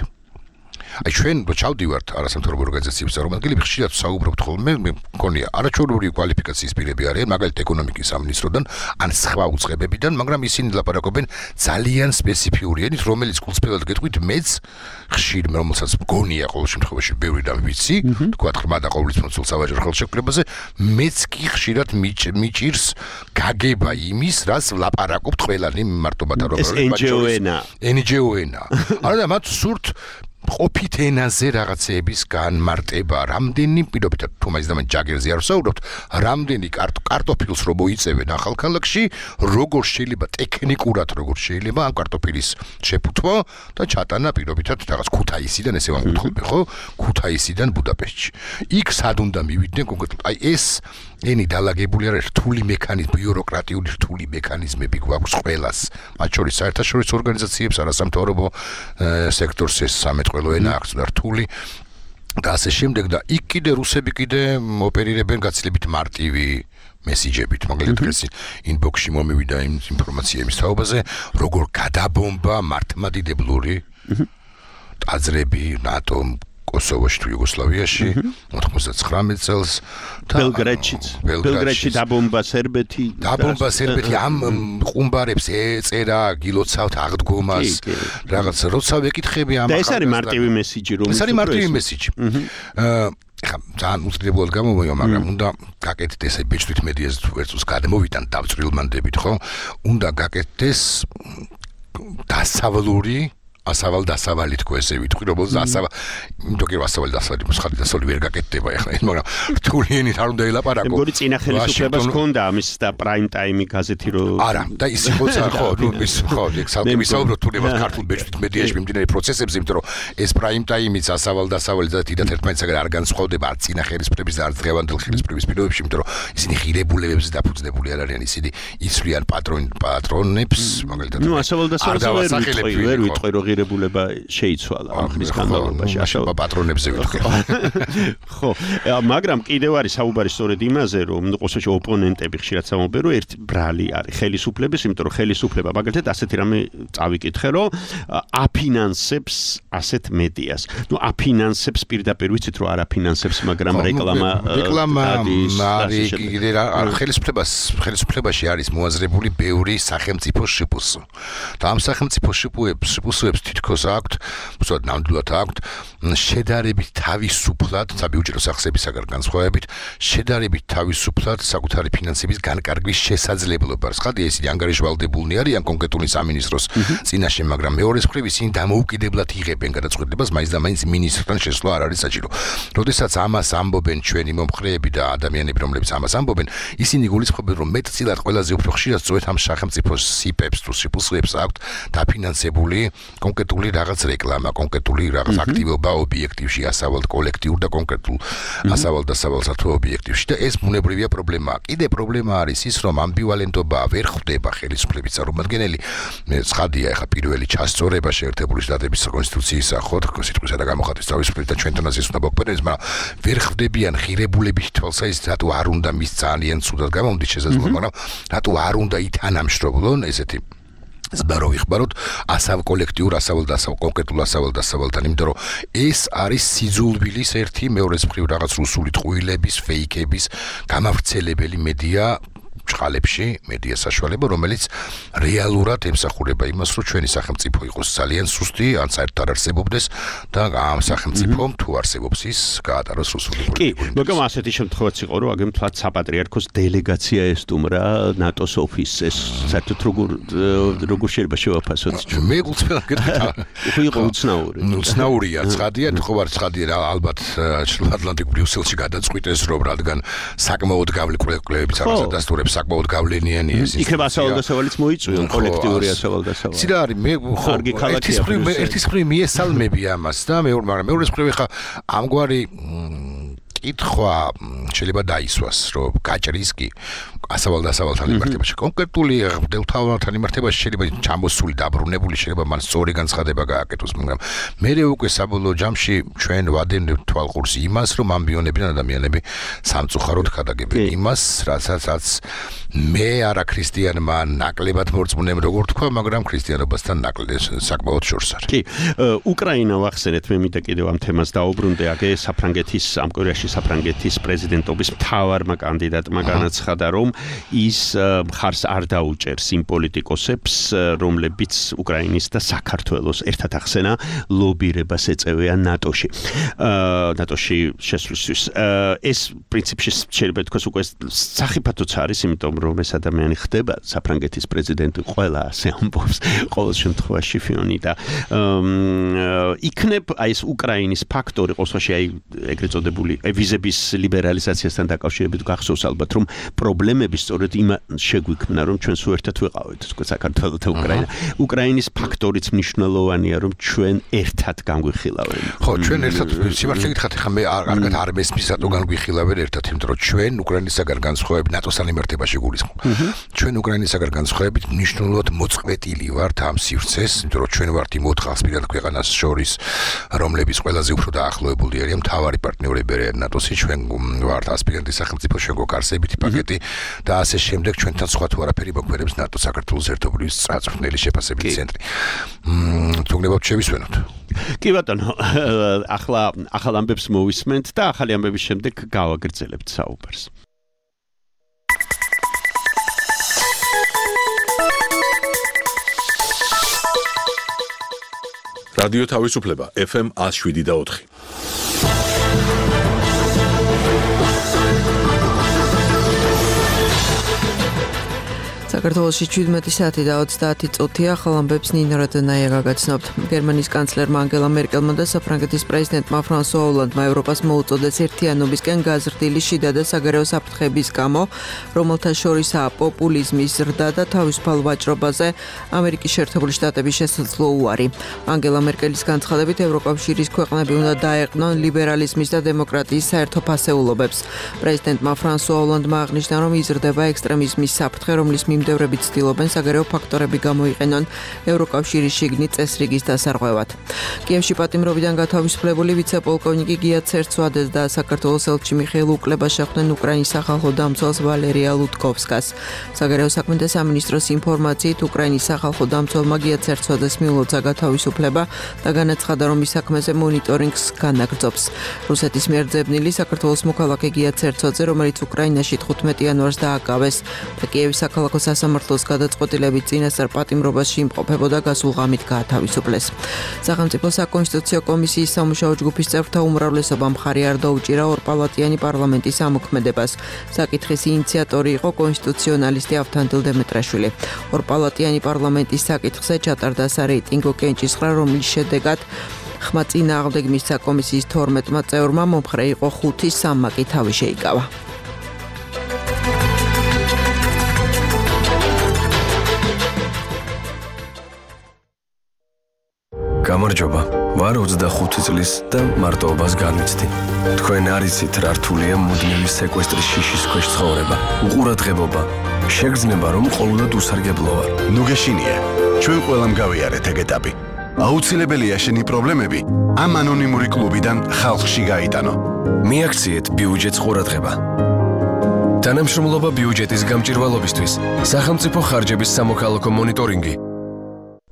აი ჩვენ რო ჩავდივართ არასამთავრობო ორგანიზაციების წარმომადგენლები ხშირად საუბრობთ ხოლმე მე მგონია არაჩვეულებრივი კვალიფიკაციის პირები არიან მაგალითად ეკონომიკის სამინისტროდან ან სხვა უწყებებიდან მაგრამ ისინი ლაპარაკობენ ძალიან სპეციფიური ენით რომელიც გულწრფელად გეტყვით მეც ხშირ რომელსაც მგონია ყოველ შემთხვევაში ბევრი და ვიცი თქვა ხმა და ყოვლისმოცულ სავაჭრო ხელშეკრულებაზე მეც კი ხშირად მიჭირს გაგება იმის რაც ლაპარაკობთ ყველანი მარტობათა რომ NGO ენა არა მათ სურთ ყოფით ენაზე რაღაცეების განმარტება, რამდენი პირობითად თუ მაინც და მაინც ჯაგერზე არ ვსაუბრობთ, რამდენი კარტოფილს რო მოიწევენ ახალ ქალაქში, როგორ შეიძლება ტექნიკურად როგორ შეიძლება ამ კარტოფილის შეფუთვა და ჩატანა პირობითად რაღაც ქუთაისიდან ესე ვამბობ ხო? ქუთაისიდან ბუდაპეშტში. იქ სად უნდა მივიდნენ კონკრეტულად? აი ეს ენი დალაგებული არის რთული მექანიზმი, ბიუროკრატიული რთული მექანიზმები გვაქვს ყველას. მათ შორის საერთაშორისო ორგანიზაციებს, არასამთავრობო სექტორს ეს სამეთყველო ენა აქვს რთული და ასე შემდეგ და იქ კიდე რუსები კიდე ოპერირებენ გაცილებით მარტივი მესიჯებით, მაგალითად ეს ინბოქსში მომივიდა იმ ინფორმაცია იმის თაობაზე, როგორ გადაბომბა მართლმადიდებლური ტაძრები, ნატომ კოსოვოში თუ იუგოსლავიაში 99 წელს ბელგრადში დაბომბა სერბეთი ამ ყუმბარებს ეწერა გილოცავთ აღდგომას რაღაც როცა ვეკითხები ამ და ეს არის მარტივი მესიჯი რომ ეს არის მარტივი მესიჯი ხა ძალიან უცნაურად გამომოვა მაგრამ უნდა გაკეთდეს ეს ბეჭდვით მედიაზე თუ ერთს გადმოვიდან დავწრილმანდებით ხო უნდა გაკეთდეს დასავლური ასავალ-დასავალი თქო ესე ვიტყვი რომელზეც ასავალ-დასავალი მოსხალი დასავლი ვერ გაკეთდება ახლა ეს მაგრამ რთულიანით არ უნდა ელაპარაკო მეგორი წინა ხელისუფლებას ჰქონდა ამის და პრაიმ ტაიმი გაზეთი რო არა და ის იყოს ხო ნუ ის ხო ექსალტი ვისაუბროთ თუნდაც ქართულ ბეჭდვით მედიაში მიმდინარე პროცესებზე იმიტომ რომ ეს პრაიმ ტაიმიც ასავალ-დასავალი და თითქოს ერთმანეთსაგან არ განსხვავდება არც წინა ხელისუფლების და არც დღევანდელ ხელისუფლების პირობებში იმიტომ რომ ისინი ღირებულებებზე დაფუძნებული არ არიან ისინი იცვლიან პატრონებს მაგალითად ნუ ასავალ-დასავალი ვერ ვიტყვი რომ ღირებულება შეიცვალა ამ ხნის განმავლობაში ასავალ პატრონებზე ვიტყვი ხო მაგრამ კიდევ არის საუბარი სწორედ იმაზე რომ ყოველთვის ოპონენტები ხშირად სამობენ რომ ერთ ბრალი არის ხელისუფლების იმიტომ რომ ხელისუფლება მაგალითად ასეთი რამე წავიკითხე რომ აფინანსებს ასეთ მედიას ნუ აფინანსებს პირდაპირ ვიცით რომ არ აფინანსებს მაგრამ რეკლამა არის კიდე რა ხელისუფლებაში არის მოაზრებული ბევრი სახელმწიფო შპს და ამ სახელმწიფო შპს თითქოს აქვთ, უბრალოდ ნამდვილად აქვთ შედარებით თავისუფლად, საბიუჯეტო სახსებისაგან განსხვავებით, შედარებით თავისუფლად საკუთარი ფინანსების განკარგვის შესაძლებლობა. ხადია ისინი ანგარიშვალდებულნი არიან კონკრეტული სამინისტროს წინაშე, მაგრამ მეორეს მხრივ ისინი დამოუკიდებლად იღებენ გადაწყვეტილებას, მაინც და მაინც მინისტრთან შესვლა არ არის საჭირო. როდესაც ამას ამბობენ ჩვენი მომხრეები და ადამიანები, რომლებიც ამას ამბობენ, ისინი გულისხმობენ, რომ მეტწილად ყველაზე უფრო ხშირად სწორედ ამ სახელმწიფოს სიპებს თუ სიპსლებს აქვთ დაფინანსებული კონკრეტული რაღაც რეკლამა, კონკრეტული რაღაც აქტივობა ობიექტივში, ასავალ კოლექტიურ და კონკრეტულ ასავალ-დასავალსა თუ ობიექტივში და ეს ბუნებრივია პრობლემაა. კიდე პრობლემა არის ის, რომ ამბივალენტობა ვერ ხვდება ხელისუფლების წარმომადგენელი. ცხადია, ეხა პირველი ჩასწორება შეერთებული შტატების კონსტიტუციის სახოთ, სიტყვისა და გამოხატვის თავისუფლება და ჩვენთანაც ის უნდა მოგვიყვანოს, მაგრამ ვერ ხვდებიან ღირებულების თვალსაზრისით, რატო არ უნდა მის ძალიან ცუდად გამომდის შესაძლოა, მაგრამ რატო არ უნდა ითანამშრომლონ ესეთი ზბარო ვიხბაროთ ასავალ კოლექტიურ ასავალ-დასავალ კონკრეტულ ასავალ-დასავალთან, იმიტომ რომ ეს არის სიძულვილის ერთი მეორეს მხრივ რაღაც რუსული ტყუილების, ფეიქების გამავრცელებელი მედია ჭყალებში, მედია საშუალება, რომელიც რეალურად ემსახურება იმას, რომ ჩვენი სახელმწიფო იყოს ძალიან სუსტი, ან საერთოდ არ არსებობდეს და ამ სახელმწიფომ თუ არსებობს ის გაატაროს რუსული პოლიტიკა. კი, მაგრამ ასეთი შემთხვევაც იყო, რომ აგემ თქვა საპატრიარქოს დელეგაცია ესტუმრა ნატოს ოფისს, ეს საერთოდ როგორ შეიძლება შევაფასოთ? მე გულწრფელად გეტყვით. იყო უცნაური. უცნაურია, ცხადია, ხო არ ცხადია რა, ალბათ ჩრდილო ატლანტიკურ ბრიუსელში გადაწყვიტეს, რომ რადგან საკმაოდ გავლენებიც არის დასტურებს საკმაოდ გავლენიანი ეს იქნება ასავალ-დასავალიც მოიწვიონ კოლექტიური ასავალ-დასავალი. ცირა არის მე ხო ერთის მხრივ მიესალმები ამას და მაგრამ მეორეს მხრივ ხა ამგვარი კითხვა შეიძლება დაისვას, რომ გაჭრის კი ასავალ-დასავალთან მიმართებაში კონკრეტული დელთავთან მიმართებაში შეიძლება ჩამოსული დაბრუნებული შეიძლება მან სწორი განცხადება გააკეთოს, მაგრამ მე უკვე საბოლოო ჯამში ჩვენ ვადენებთ თვალყურს იმას, რომ ამბიონებიდან ადამიანები სამწუხაროდ ხადაგებენ იმას, რასაც მე არა ქრისტიანმა ნაკლებად მორწმუნემ როგორ თქვა, მაგრამ ქრისტიანობასთან ნაკლებად საკმაოდ შორს არის. კი, უკრაინა ვახსენეთ, მე მინდა კიდევ ამ თემას დაუბრუნდე, აგე საფრანგეთის ამ კვირაში საფრანგეთის პრეზიდენტობის მთავარმა კანდიდატმა განაცხადა, რომ ის მხარს არ დაუჭერს იმ პოლიტიკოსებს, რომლებიც უკრაინის და საქართველოს ერთად ახსენა ლობირებას ეწევიან ნატოში. ნატოში შესვლისთვის. ეს პრინციპში შეიძლება თქვას უკვე სახიფათოც არის, იმიტომ რომ ეს ადამიანი ხდება საფრანგეთის პრეზიდენტი, ყველა ასე ამბობს, ყოველ შემთხვევაში ფიონი და იქნებ აი ეს უკრაინის ფაქტორი ყოველში აი ეგრეთ წოდებული ვიზების ლიბერალიზაციასთან დაკავშირებით გახსოვს ალბათ რომ პრობლემები სწორედ იმ შეგვიქმნა რომ ჩვენ სულ ერთად ვიყავით თქო საქართველო და უკრაინა. უკრაინის ფაქტორიც მნიშვნელოვანია რომ ჩვენ ერთად განგვიხილავენ. ხო, ჩვენ ერთად სიმართლე გითხრათ, ხა მე კარგად არ მესმის რატო განგვიხილავენ ერთად, იმიტომ რომ ჩვენ უკრაინისაგან განსხვავებით ნატოსთან მიმართებაში გულისხმობ. ჩვენ უკრაინისაგან განსხვავებით მნიშვნელოვნად მოწყვეტილი ვართ ამ სივრცეს, იმიტომ რომ ჩვენ ვართ იმ 4 ხალხსპირად ქვეყანას შორის, რომლებიც ყველაზე უფრო დაახლოებული არიან მთავარი პარტნიორები არიან ნატოსი, ჩვენ ვართ ასპირანტი სახელმწიფო, ჩვენ გვაქვს არსებითი პაკეტი და ასე შემდეგ ჩვენთან სხვა თუ არაფერი მოგვერებს ნატო საქართველოს ერთობლივი სწრაფმხნელი შეფასების ცენტრი. თუ გნებავთ შევისვენოთ. კი ბატონო, ახლა ახალ ამბებს მოვისმენთ და ახალი ამბების შემდეგ გავაგრძელებთ საუბარს. რადიო თავისუფლება FM 107.4. საქართველოში 17 საათი და 30 წუთია ახალ ამბებს ნინო რადონაია გაგაცნობთ. გერმანიის კანცლერმა ანგელა მერკელმა და საფრანგეთის პრეზიდენტმა ფრანსუა ოლანდმა ევროპას მოუწოდეს ერთიანობისკენ გაზრდილი შიდა და საგარეო საფრთხების გამო, რომელთა შორისაა პოპულიზმის ზრდა და თავისუფალ ვაჭრობაზე ამერიკის შეერთებული შტატების შესაძლო უარი. ანგელა მერკელის განცხადებით ევროკავშირის ქვეყნები უნდა დაეყნონ ლიბერალიზმის და დემოკრატიის საერთო ფასეულობებს. პრეზიდენტმა ფრანსუა ოლანდმა აღნიშნა, რომ იზრდება ექსტრემიზმის საფრთხე, რომლის მიმდევრები ცდილობენ საგარეო ფაქტორები გამოიყენონ ევროკავშირის შიგნით წესრიგის დასარღვევად. კიევში პატიმრობიდან გათავისუფლებული ვიცე-პოლკოვნიკი გია ცერცვადეს და საქართველოს ელჩი მიხეილ უკლებას შეხვდნენ უკრაინის სახალხო დამცველს ვალერია ლუტკოვსკას. საგარეო საქმეთა სამინისტროს ინფორმაციით უკრაინის სახალხო დამცველმა გია ცერცვადეს მიულოცა გათავისუფლება და განაცხადა, რომ ის საქმეზე მონიტორინგს განაგრძობს. რუსეთის მიერ ძებნილი საქართველოს მოქალაქე გია ცერცვაძე, რომელიც უკრაინაში 15 იანვარს დააკავეს და კიევის საქალაქო სასამართლოს გადაწყვეტილებით წინასწარ პატიმრობაში იმყოფებოდა გასულ ღამით გაათავისუფლეს. სახელმწიფო საკონსტიტუციო კომისიის სამუშაო ჯგუფის წევრთა უმრავლესობა მხარი არ დაუჭირა ორპალატიანი პარლამენტის ამოქმედებას. საკითხის ინიციატორი იყო კონსტიტუციონალისტი ავთანდილ დემეტრაშვილი. ორპალატიანი პარლამენტის საკითხზე ჩატარდა სარეიტინგო კენჭისყრა, რომლის შედეგად ხმა წინააღმდეგ საკომისიის 12 წევრმა მომხრე იყო 5-3 კი თავი შეიკავა. გამარჯობა, ვარ 25 წლის და მარტოობას განვიცდი. თქვენ არ იცით რა რთულია მუდმივი სეკვესტრის შიშის ქვეშ ცხოვრება, უყურადღებობა, შეგრძნება რომ ყოველდღე უსარგებლო ვარ. ნუ გეშინია, ჩვენ ყველამ გავიარეთ ეგ ეტაპი. აუცილებელია შენი პრობლემები ამ ანონიმური კლუბიდან ხალხში გაიტანო. მიაქციეთ ბიუჯეტს ყურადღება. თანამშრომლობა ბიუჯეტის გამჭირვალობისთვის, სახელმწიფო ხარჯების სამოქალაქო მონიტორინგი.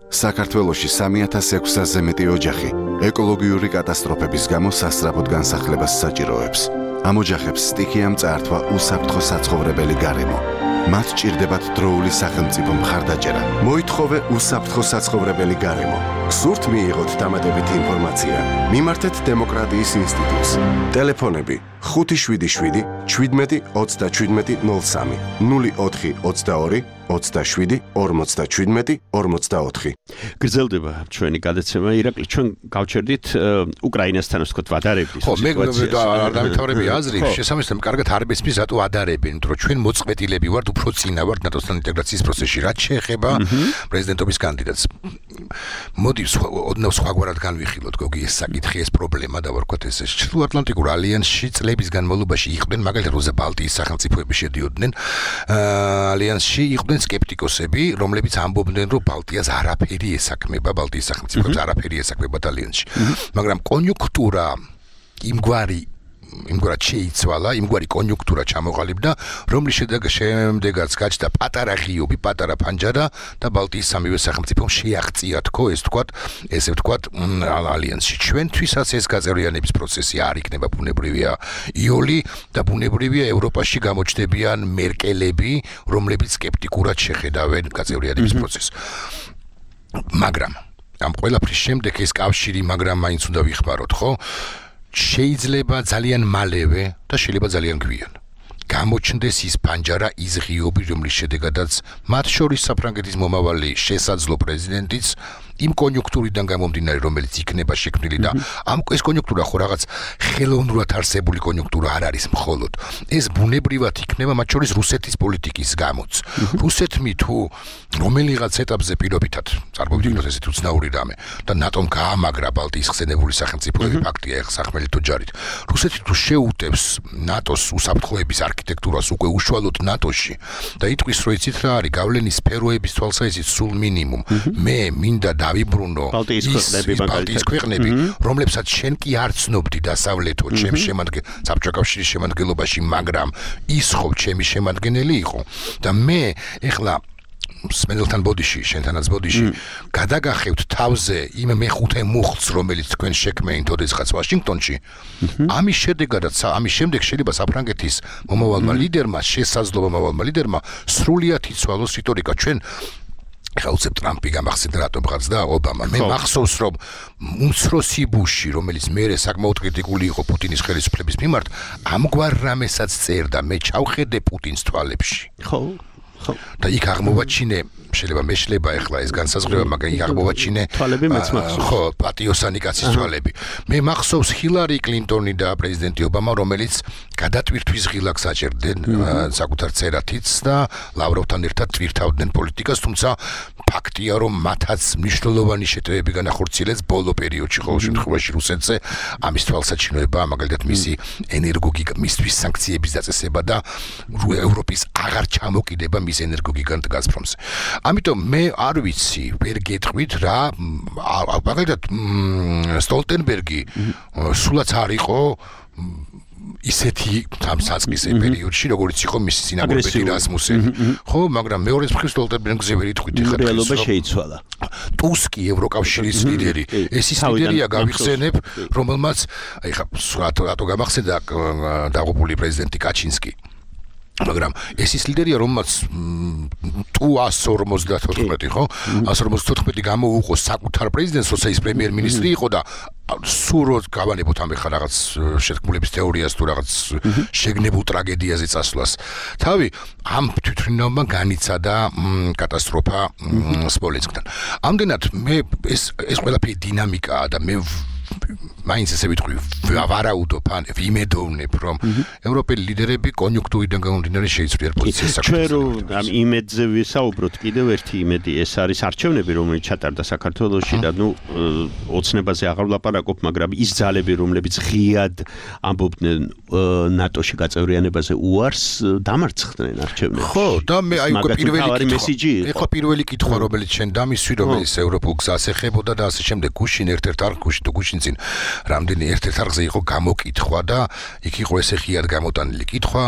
საქართველოში 3600-ზე მეტი ოჯახი ეკოლოგიური კატასტროფების გამო სასწრაფოდ განსახლებას საჭიროებს. ამ ოჯახებს სტიქიამ წაართვა უსაფრთხო საცხოვრებელი გარემო. მათ ჭირდებათ დროული სახელმწიფო მხარდაჭერა. მოითხოვე უსაფრთხო საცხოვრებელი გარემო. გსურთ მიიღოთ დამატებითი ინფორმაცია? მიმართეთ დემოკრატიის ინსტიტუტს. ტელეფონები 577 17 37 03 04 22 27 57 44. გრძელდება ჩვენი გადაცემა. ირაკლი, ჩვენ გავჩერდით უკრაინასთან ვთქვათ ვადარებდის სიტუაციას. ხო, მე არ დამთავრები აზრი, შესაბამისად კარგად არ მესმის რატო ადარებენ, იმიტომ რომ ჩვენ მოწყვეტილები ვართ, უფრო წინა ვართ ნატოსთან ინტეგრაციის პროცესში, რაც შეეხება პრეზიდენტობის კანდიდატს. მოდი ოდნავ სხვაგვარად განვიხილოთ, გოგი, ეს საკითხი, ეს პრობლემა და ვარქვათ ეს ჩრდილო-ატლანტიკურ ალიანსში წლების განმავლობაში იყვნენ, მაგალითად როზე ბალტიის სახელმწიფოები შედიოდნენ ალიანსში, იყვნენ სკეპტიკოსები, რომლებიც ამბობდნენ, რომ ბალტიას არაფერი ესაქმება, ბალტიის სახელმწიფოებს არაფერი ესაქმება ალიანსში. მაგრამ კონიუნქტურა იმგვარად შეიცვალა, იმგვარი კონიუნქტურა ჩამოყალიბდა, რომლის შემდეგაც გაჩნდა პატარა ღიობი, პატარა ფანჯარა და ბალტიის სამივე სახელმწიფომ შეაღწია თქო, ესე ვთქვათ, ალიანსში. ჩვენთვისაც ეს გაწევრიანების პროცესი არ იქნება ბუნებრივია იოლი და ბუნებრივია ევროპაში გამოჩნდებიან მერკელები, რომლებიც სკეპტიკურად შეხედავენ გაწევრიანების პროცესს. მაგრამ ამ ყველაფრის შემდეგ ეს კავშირი, მაგრამ მაინც უნდა ვიხმაროთ, ხო? შეიძლება ძალიან მალევე და შეიძლება ძალიან გვიან გამოჩნდეს ის პანჯარა, ის ღიობი, რომლის შედეგადაც მათ შორის საფრანგეთის მომავალი შესაძლო პრეზიდენტიც იმ კონიუნქტურიდან გამომდინარე, რომელიც იქნება შექმნილი და ეს კონიუნქტურა ხო რაღაც ხელოვნურად არსებული კონიუნქტურა არ არის მხოლოდ. ეს ბუნებრივად იქნება მათ შორის რუსეთის პოლიტიკის გამოც. რუსეთმი თუ რომელიღაც ეტაპზე პირობითად წარმოვიდგინოთ ესეთი უცნაური რამე და ნატომ გაამაგრა ბალტიის ხსენებული სახელმწიფოები, ფაქტია ეხლა სახმელეთო ჯარით. რუსეთი თუ შეუტევს ნატოს უსაფრთხოების არქიტექტურას უკვე უშუალოდ ნატოში და იტყვის, რომ იცით რა არის, გავლენის სფეროების თვალსაზრისით სულ მინიმუმ. მე მინდა დავიბრუნო ბალტიის ქვეყნები, რომლებსაც შენ კი არ ცნობდი დასავლეთო, ჩემს საბჭოთა კავშირის შემადგენლობაში, მაგრამ ის ხო ჩემი შემადგენელი იყო და მე ეხლა სმენელთან ბოდიში, შენთანაც ბოდიში, გადაგახევთ თავზე იმ მეხუთე მუხლს, რომელიც თქვენ შექმნით ოდესღაც ვაშინგტონში. ამის შემდეგ შეიძლება საფრანგეთის მომავალმა ლიდერმა, შესაძლოა მომავალმა ლიდერმა სრულიად იცვალოს რიტორიკა. ჩვენ ხალხებს ტრამპი გამახსენდა რატომ ხარდა ობამა. მე მახსოვს რომ უმცროსი ბუში, რომელიც მერე საკმაოდ კრიტიკული იყო პუტინის ხელისუფლების მიმართ, ამგვარ რამესაც წერდა, მე ჩავხედე პუტინს თვალებში. ხო და იქ აღმოვაჩინე შეიძლება მეშლება ეხლა ეს განსაზღვრება, მაგრამ იქ აღმოვაჩინე თვალები მეც მახსოვს. ხო, პატიოსანი კაცის თვალები. მე მახსოვს ჰილარი კლინტონი და პრეზიდენტი ობამა, რომელიც გადატვირთვის ღილაკს აჭერდნენ საკუთარ წერათიც და ლავროვთან ერთად ტვირთავდნენ პოლიტიკას, თუმცა ფაქტია რომ მათაც მნიშვნელოვანი შეტევები განახორციელეს ბოლო პერიოდში, ყოველ შემთხვევაში რუსეთზე ამის თვალსაჩინოება, მაგალითად მისი მისთვის სანქციების დაწესება და ევროპის აღარ ჩამოკიდება მის ენერგოგიგანტ გაზპრომზე. ამიტომ მე არ ვიცი, ვერ გეტყვით რა, მაგალითად სტოლტენბერგი სულაც არ იყო ისეთი სამსაწყისე პერიოდში, როგორც იყო მისი წინამორბედი რასმუსენი. ხო, მაგრამ მეორეს მხრივ სტოლტენბერგზე ვერ იტყვით ხა. რეალობა შეიცვალა. ტუსკი ევროკავშირის ლიდერი, ეს ის ლიდერია გავიხსენებ, რომელმაც ეხა რატო გამახსენდა დაღუპული პრეზიდენტი კაჩინსკი. მაგრამ ეს ის ლიდერია, რომელმაც თუ 154 ხო? 154 გამოუყო საკუთარ პრეზიდენტს, როცა ის პრემიერ-მინისტრი იყო და სურვოთ გავანებოთ ამ ხარ რაღაც შეთქმულების თეორიას თუ რაღაც შეგნებულ ტრაგედიაზე წასვლას. თავი ამ თვითმფრინავმა განიცადა კატასტროფა სმოლენსკთან. ამდენად მე ეს ყველაფერი დინამიკაა და მე მაინც ესე ვიტყვი, ვარაუდობ, ვიმედოვნებ, რომ ევროპელი ლიდერები კონიუნქტურიდან გამომდინარე შეიცვლიან პოზიციას საქართველოს. ჩვენ რომ ამ იმედზე ვისაუბროთ, კიდევ ერთი იმედი, ეს არის არჩევნები, რომელიც ჩატარდა საქართველოში და ოცნებაზე აღარ ვლაპარაკობ, მაგრამ ის ძალები, რომლებიც ღიად ამბობდნენ ნატოში გაწევრიანებაზე უარს, დამარცხდნენ არჩევნებში. ხო, და მე აი უკვე პირველი კითხვა, რომელიც შენ დამისვი, რომელიც ევროპულ გზას ეხებოდა და ასე შემდეგ, გუშინ ერთ-ერთ არ გუშინ თუ გუშინ წინ რამდენი ერთ-ერთ არხზე იყო გამოკითხვა და იქ იყო ესე ღიად გამოტანილი კითხვა,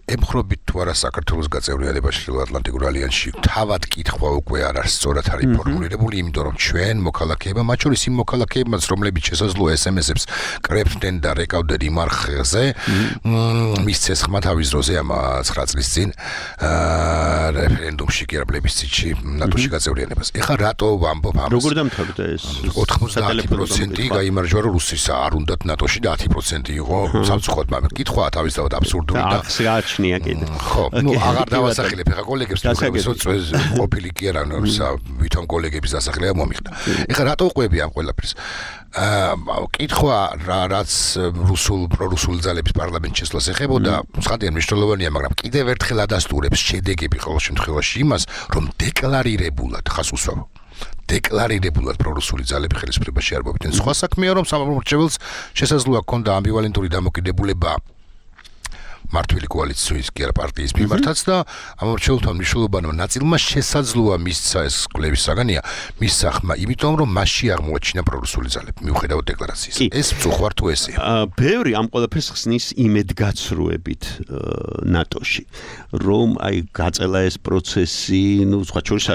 ემხრობით თუ არა საქართველოს გაწევრიანებაში ხილ-ატლანტიკურ ალიანსში. თავად კითხვა უკვე არ არის სწორად არის ფორმულირებული, იმიტომ რომ ჩვენ მოქალაქეებმა, მათ შორის იმ მოქალაქეებმაც, რომლებიც შესაძლოა SMS-ებს კრებდნენ და რეკავდნენ იმ არხზე, მისცეს ხმა თავის დროზე ამ 9 წლის წინ რეფერენდუმში კი არა პლებისციტში ნატოში გაწევრიანებას. ეხლა რატო ვამბობ ამას? როგორ დამთავრდა ეს? 90% გაიმარჯვა რომ რუსის არ უნდათ ნატოში და 10% იყო სამწუხაროდ, მაგრამ კითხვაა თავისთავად აბსურდული და აღსაჩნია კიდე. ხო, აღარ დავასახელებ ხა კოლეგებს, ყოფილი კი არა, ვითომ კოლეგების დასახელება მომიხდა. ეხლა რატო ყვები ამ ყველაფერს? კითხვა რაც პრორუსული ძალების პარლამენტში შესვლას ეხებოდა, ცხადია მნიშვნელოვანია, მაგრამ კიდევ ერთხელ ადასტურებს შედეგები ყოველ შემთხვევაში იმას, რომ დეკლარირებულად ხას უსვამო. დეკლარირებულად პრორუსული ძალები ხელისუფლებაში არ მოვიდნენ. სხვა საქმეა, რომ სამომრჩეველს შესაძლოა ჰქონდა ამბივალენტური დამოკიდებულება მართვილი კოალიციის კი არა პარტიის მიმართაც და ამორჩეულთა მნიშვნელოვანმა ნაწილმა შესაძლოა მისცა ეს კვლევის საგანია მისცა ხმა, იმიტომ რომ მასში აღმოაჩინა პრორუსული ძალები მიუხედავად დეკლარაციის. ეს მწუხვარ თუ ესეა. ბევრი ამ ყველაფერს ხსნის იმედგაცრუებით ნატოში, რომ აი გაწელა ეს პროცესი, სხვა შორის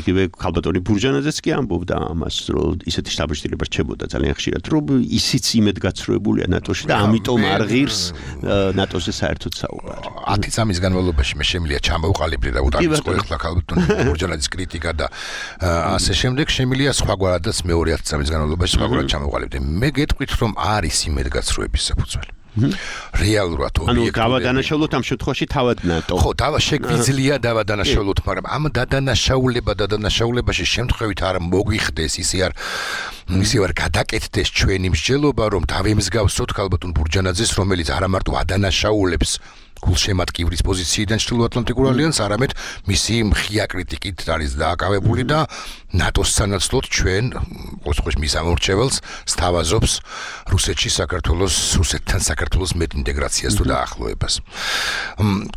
იგივე ქალბატონი ბურჯანაძეც კი ამბობდა ამას, რომ ისეთი შთაბეჭდილება რჩებოდა ძალიან ხშირად, რომ ისიც იმედგაცრუებულია ნატოში და ამიტომ არ ღირს ნატოზე საერთოდ 10 წამის განმავლობაში მე შემიძლია ჩამოვყალიბდე და უდარიწყო ეხლა ქალბატონი ბურჯანაძის კრიტიკა და ასე შემდეგ შემიძლია სხვაგვარადაც მეორე 10 წამის განმავლობაში სხვაგვარად ჩამოვყალიბდე. მე გეტყვით რომ არის იმედგაცრუების საფუძველი. რეალურად ანუ დავადანაშაულოთ ამ შემთხვევაში თავად ნატო. ხო, შეგვიძლია დავადანაშაულოთ, მაგრამ ამ დადანაშაულებაში შემთხვევით არ მოგვიხდეს, ისე არ გადაკეთდეს ჩვენი მსჯელობა, რომ დავემსგავსოთ ქალბატონ ბურჯანაძეს, რომელიც არა მარტო ადანაშაულებს გულშემატკივრის პოზიციიდან ჩრდილოატლანტიკურ ალიანსს, არამედ მისი მხია კრიტიკით არის დააკავებული და ნატოს სანაცვლოდ ჩვენ ყოველთვის მის ამორჩეველს სთავაზობს რუსეთთან საქართველოს მეტ ინტეგრაციას თუ დაახლოებას.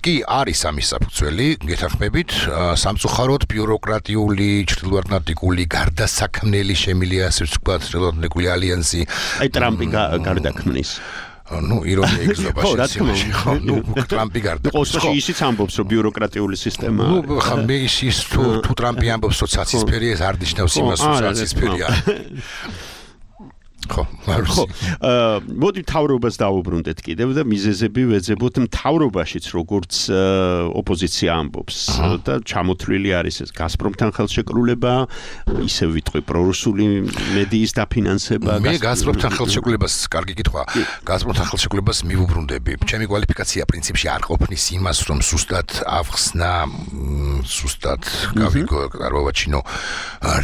კი არის ამის საფუძველი, გეთანხმებით, სამწუხაროდ ბიუროკრატიული ჩრდილოატლანტიკური გარდასაქმნელი შემილია ასე ვთქვათ ჩრდილოატლანტიკური ალიანსი. აი ტრამპი გარდაქმნის ირონია იგრძნობა შემთხვევაში, ხო, ტრამპი გარდაქმნის. ხო, ისიც ამბობს, რომ ბიუროკრატიული სისტემა. ხა მე ის თუ ტრამპი ამბობს, რომ ცაცისფერია, ეს არ ნიშნავს იმას, რომ ცაცისფერია. ხო, მოდი მთავრობას დაუბრუნდეთ კიდევ და მიზეზები ვეძებოთ მთავრობაშიც, როგორც ოპოზიცია ამბობს და ჩამოთვლილი არის ეს გაზპრომთან ხელშეკრულება, ისე ვიტყვი პრორუსული მედიის დაფინანსება. მე გაზპრომთან ხელშეკრულებას, კარგი კითხვა, გაზპრომთან ხელშეკრულებას მივუბრუნდები. ჩემი კვალიფიკაცია პრინციპში არ ყოფნის იმას, რომ სუსტად ავხსნა, სუსტად გავავაჩინო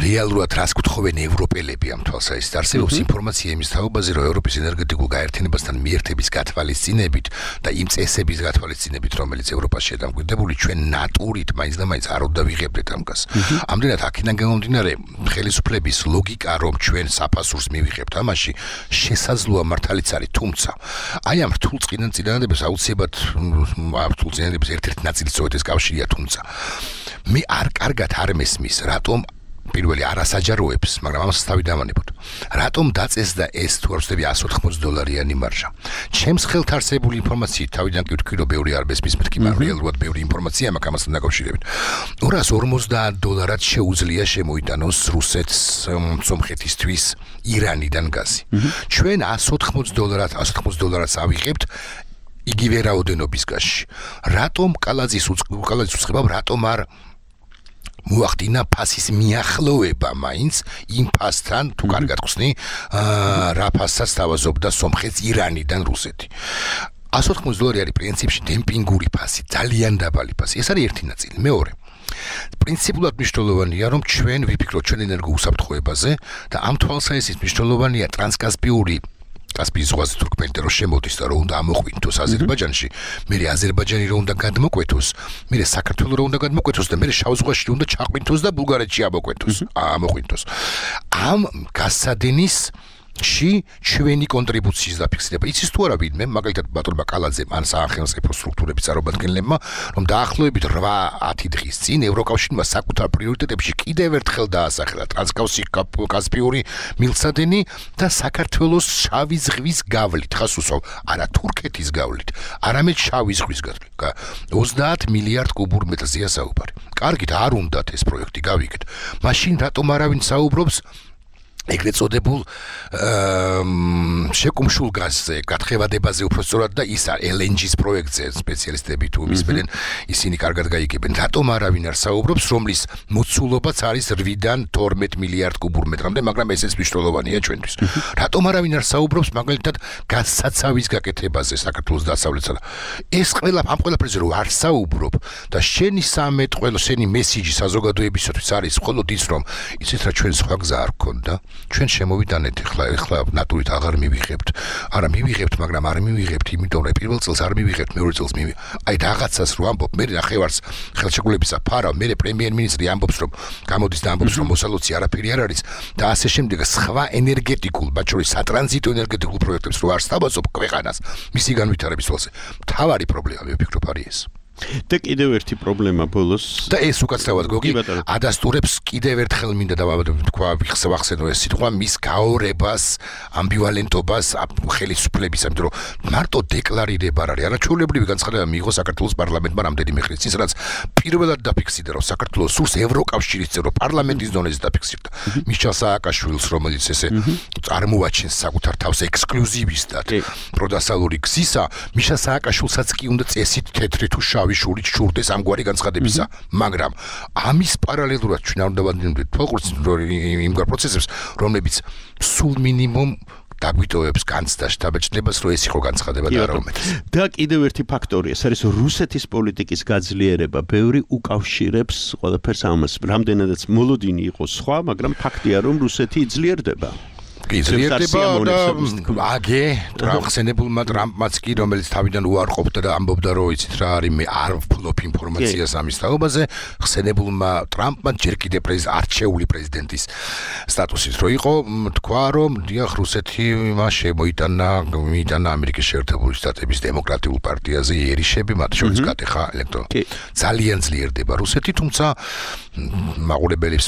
რეალურად რას გთხოვენ ევროპელები ამ თვალსაზრისით. არსებობს ინფორმაცია იმის თაობაზე, რომ ევროპის ენერგეტიკულ გაერთიანებასთან მიერთების გათვალისწინებით და იმ წესების გათვალისწინებით, რომელიც ევროპაში დამკვიდრებული, ჩვენ ნატურით მაინც და მაინც არ უნდა ვიღებდეთ ამას. ამდენად აქედან გამომდინარე, ხელისუფლების ლოგიკა, რომ ჩვენ საფასურს მივიღებთ ამაში, შესაძლოა მართალიც არის, თუმცა აი ამ რთულ წინადადებას აუცილებლად ამ რთულ წინადადებას ერთ-ერთი ნაწილი სწორედ ეს კავშირია, თუმცა მე არ კარგად არ მესმის, რატომ პირველი არასაჯაროებს, მაგრამ ამას თავი დავანებოთ. რატომ დაწესდა ეს თუ არ ვცდები $180 მარჟა? ჩემს ხელთ არსებული ინფორმაციით თავიდან კი ვთქვი, რომ ბევრი არ მესმის მეთქი, მაგრამ რეალურად ბევრი ინფორმაცია მაქვს ამასთან დაკავშირებით. $250 შეუძლია შემოიტანოს რუსეთს სომხეთისთვის ირანიდან გაზი. ჩვენ $180 ავიღებთ იგივე რაოდენობის გაზში. რატომ კალაძის უწყება, რატომ არ მოახდინა ფასის მიახლოვება მაინც იმ ფასთან, თუ კარგად ხსნი, რა ფასაც თავაზობდა სომხეთს ირანიდან რუსეთი. $180 არის პრინციპში დემპინგური ფასი, ძალიან დაბალი ფასი. ეს არის ერთი ნაწილი. მეორე, პრინციპულად მნიშვნელოვანია, რომ ჩვენ ვიფიქროთ ჩვენ ენერგოუსაფრთხოებაზე და ამ თვალსაზრისით მნიშვნელოვანია ტრანსკასპიური კასპიის ზღვაზე თურქმენეთთან რომ შემოდის და რომ უნდა ამოყვინთოს აზერბაიჯანში, მერე აზერბაიჯანი რომ უნდა გადმოკვეთოს, მერე საქართველო რომ უნდა გადმოკვეთოს და მერე შავ ზღვაში უნდა ჩაყვინთოს და ბულგარეთში ამოყვინთოს. ამ გასადენის ჩვენი კონტრიბუციის დაფიქსირება. იცის თუ არა ვინმე, მაგალითად ბატონმა კალაძემ ან სახელმწიფო სტრუქტურების წარმომადგენლებმა, რომ დაახლოებით 8-10 დღის წინ ევროკავშირმა საკუთარ პრიორიტეტებში კიდევ ერთხელ დაასახელა ტრანსკასპიური მილსადენი და საქართველოს შავი ზღვის გავლით, ხას უსვავ, არა თურქეთის გავლით, არამედ შავი ზღვის გავლით. 30 მილიარდ კუბურ მეტრზეა საუბარი. კარგით, არ უნდათ ეს პროექტი გავიგეთ. მაშინ რატომ არავინ საუბრობს ეგრეთ წოდებულ შეკუმშულ გაზზე, გათხევადებაზე უფრო სწორად და ის LNG-ს პროექტზე სპეციალისტები თუ მისმენენ, ისინი კარგად გაიგებენ. რატომ არავინ არ საუბრობს, რომლის მოცულობაც არის 8-დან 12 მილიარდ კუბურ მეტრამდე, მაგრამ ესეც მნიშვნელოვანია ჩვენთვის. რატომ არავინ არ საუბრობს მაგალითად გაზსაცავის გაკეთებაზე საქართველოს დასავლეთსა და ეს ამ ყველაფერზე რომ არ საუბრობ და შენი შენი მესიჯი საზოგადოებისათვის არის მხოლოდ ის, რომ იცით რა ჩვენ სხვა გზა არ გქონდა. ჩვენ შემოვიდანეთ ახლა ნატურით აღარ მივიღებთ. არა მივიღებთ, მაგრამ არ მივიღებთ, იმიტომ რომ პირველ წელს არ მივიღებთ, მეორე წელს აი რაღაცას რო ამბობ, მე ნახევარს ხელშეკრულებისა ფარავ, მე პრემიერ-მინისტრი ამბობს, რომ გამოდის და ამბობს, რომ მოსალოცი არაფერი არ არის და ასე შემდეგ სხვა ენერგეტიკულ, მათ შორის სატრანზიტო ენერგეტიკულ პროექტებს რო არ სთავაზობ ქვეყანას მისი განვითარების წელზე. მთავარი პრობლემა მე ვფიქრობ არის ეს. და კიდევ ერთი პრობლემა ბოლოს და ეს უკაცრავად გოგი ადასტურებს კიდევ ერთხელ მინდა თქვა ვახსენო ეს სიტყვა მის გაორებას, ამბივალენტობას ხელისუფლების, ამიტომ რომ მარტო დეკლარირება არ არის, არაჩვეულებრივი განცხადება მიიღო საქართველოს პარლამენტმა რამდენიმე ხნის წინ, სადაც პირველად დაფიქსირდა, რომ საქართველოს სურს ევროკავშირის წევრო პარლამენტის დონეზე დაფიქსირდა. მიშელ სააკაშვილს, რომელიც ესე წარმოაჩენს საკუთარ თავს ექსკლუზივისტად პროდასალური გზისა, მიშელ სააკაშვილსაც კი უნდა წესით თეთრი თუ შავი შურით შურდეს ამგვარი განცხადებისა, მაგრამ ამის პარალელურად ჩვენ არ უნდა ვადნებდეთ იმგვარ პროცესებს, რომლებიც სულ მინიმუმ დაგვიტოვებს განცდა შთაბეჭდებას, რომ ეს იყო განცხადება და არა უმეტეს. და კიდევ ერთი ფაქტორია, ეს არის რუსეთის პოლიტიკის გაძლიერება. ბევრი უკავშირებს ყველაფერს ამას. რამდენადაც მოლოდინი იყო სხვა, მაგრამ ფაქტია, რომ რუსეთი იძლიერდება. კი ძლიერდება და აგე ხსენებულმა ტრამპმაც კი რომელიც თავიდან უარყოფდა და ამბობდა რომ იცით რა არის მე არ ვფლობ ინფორმაციას ამის თაობაზე ხსენებულმა ტრამპმა ჯერ კიდევ არჩეული პრეზიდენტის სტატუსით რო იყო თქვა რომ დიახ რუსეთი მას შემოიტანა ამერიკის შეერთებული შტატების დემოკრატიულ პარტიაზე იერიშები მათ შორის გატეხა ელექტორატი ძალიან ძლიერდება რუსეთი თუმცა მაყურებელებს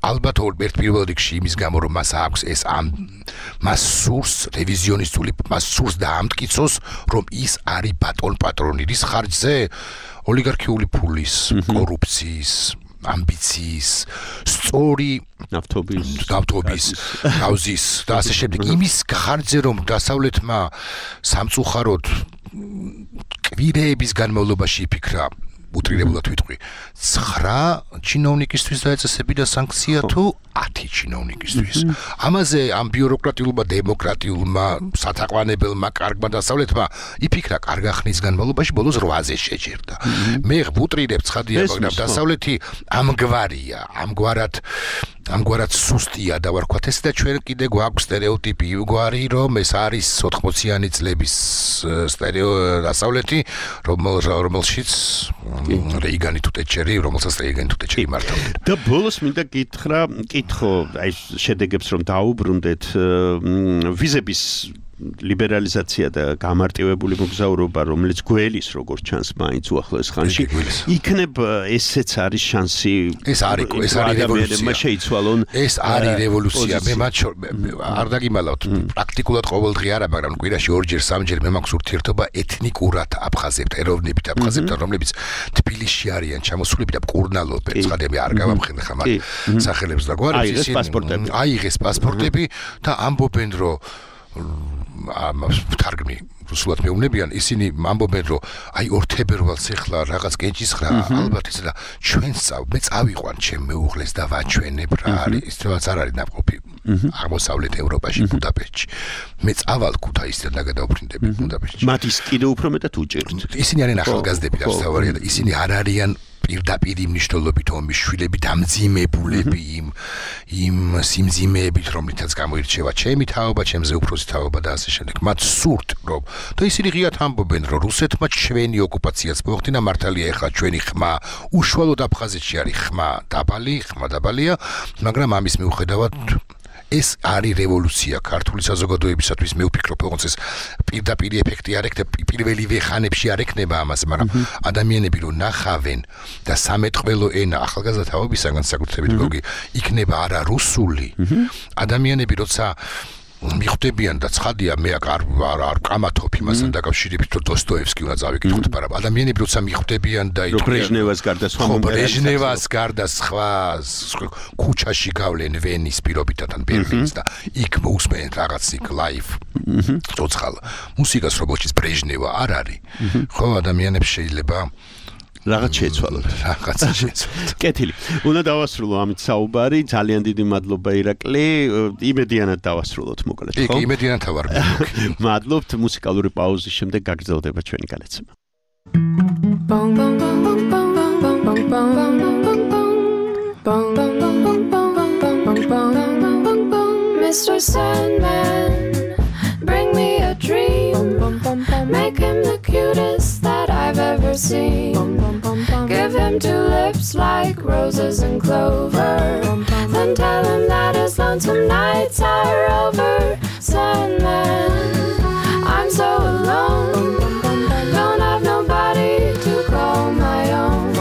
ალბათ ერთ პირველ რიგში იმის გამო რომ მას აქვს ეს მას სურს რევიზიონისტული მას სურს დაამტკიცოს რომ ის არის ბატონ პატრონი რის ხარჯზე ოლიგარქიული ფულის კორუფციის ამბიციის სწორი ნავთობის გავზის და ასე შემდეგ იმის ხარჯზე რომ დასავლეთმა სამწუხაროდ კვირეების განმავლობაში იფიქრა უტრირებულად ვიტყვი 9 ჩინოვნიკისთვის დაეწესებინა სანქცია თუ 10 ჩინოვნიკისთვის ამაზე ამ ბიუროკრატიულმა დემოკრატიულმა სათაყვანებელმა კარგმა დასავლეთმა იფიქრა კარგ ხნის განმავლობაში ბოლოს 8-ზე შეჯერდა მე ვუტრირებ ცხადია მაგრამ დასავლეთი ამგვარია ამგვარად სუსტია და ვარქვათ ეს და ჩვენ კიდე გვაქვს სტერეოტიპი გვარი რომ ეს არის 80-იანი წლების დასავლეთი რომელშიც რეიგანი თუ ტეჩერი რომელსაც რეიგანი თუ ტეჩერი მართავდნენ და ბოლოს მინდა კითხო აი შედეგებს რომ დაუბრუნდეთ ვიზების ლიბერალიზაცია და გამარტივებული მოგზაურობა რომელიც გველის როგორც ჩანს მაინც უახლოეს ხანში იქნებ ესეც არის შანსი ეს არის რევოლუცია შეიცვალონ ეს არის რევოლუცია მე მათ არ დაგიმალავთ პრაქტიკულად ყოველდღე არა მაგრამ კვირაში ორჯერ სამჯერ მე მაქვს ურთიერთობა ეთნიკურად აფხაზებთან ეროვნებით აფხაზებთან რომლებიც თბილისში არიან ჩამოსულები და მკურნალობენ ცხადები არ გავამხნეხ ამ სახელებს და გვარებს აიღეს პასპორტები და ამბობენ რომ თარგმნი რუსულად მეუბნებიან ისინი ამბობენ რომ აი 2 თებერვალს ეხლა რაღაც კენჭისხრა ალბათ ისე და ჩვენ მე წავიყვან ჩემ მეუღლეს და ვაჩვენებ რა არის ისევაც არ არის ნაყოფი აღმოსავლეთ ევროპაში ბუდაპეშტში მე წავალ ქუთაისიდან და გადავფრინდები ბუდაპეშტში მათ ის კიდევ უფრო მეტად უჭერთ ისინი არიან ახალგაზრდები და თავარია და ისინი არ არიან პირდაპირ მნიშვნელობით ომის შვილები დამძიმებულები იმ სიმძიმეებით რომლითაც გამოირჩევა ჩემი თაობა ჩემზე უფროსი თაობა და ასე შემდეგ მათ სურთ რომ და ისინი ღიად ამბობენ რომ რუსეთმა ჩვენი ოკუპაციაც მოახდინა მართალია ეხლა ჩვენი ხმა უშუალოდ აფხაზეთში არის ხმა დაბალია მაგრამ ამის მიუხედავად ეს არის რევოლუცია ქართული საზოგადოებისათვის მე ვფიქრობ როგორც ეს პირდაპირ ეფექტი არ ექნება პირველივე ხანებში არ ექნება ამას მაგრამ ადამიანები რომ ნახავენ და სამეთყველო ენა ახალგაზრდა თაობისაგან საკუთრებით გოგი იქნება არა რუსული ადამიანები როცა მიხვდებიან და ცხადია მე არ კამათობ იმასთან დაკავშირებით რომ დოსტოევსკი უნდა წავიკითხოთ მაგრამ ადამიანები როცა მიხვდებიან და ბრეჟნევას გარდა სხვა ქუჩაში გავლენ ვენის პირობითად ან ბერლინს და იქ მოусმენ რაღაც იქ ლაივ ცოცხალ მუსიკას რომელშიც ბრეჟნევა არ არის ხო ადამიანებს შეიძლება რაღაც შეცვალოთ. კეთილი. უნდა დავასრულო ამით საუბარი. ძალიან დიდი მადლობა ირაკლი. იმედიანად დავასრულოთ მოკლედ, ხო? კი, იმედიანად ვარ. მადლობთ მუსიკალური პაუზის შემდეგ გაგრძელდება ჩვენი განაცემა. Mr. Sandman, bring me a dream. Make him the cutest that I've ever seen. Give him 2 lips like roses and clover. Then tell him that his lonesome nights are over. Sandman, I'm so alone. Don't have nobody to call my own.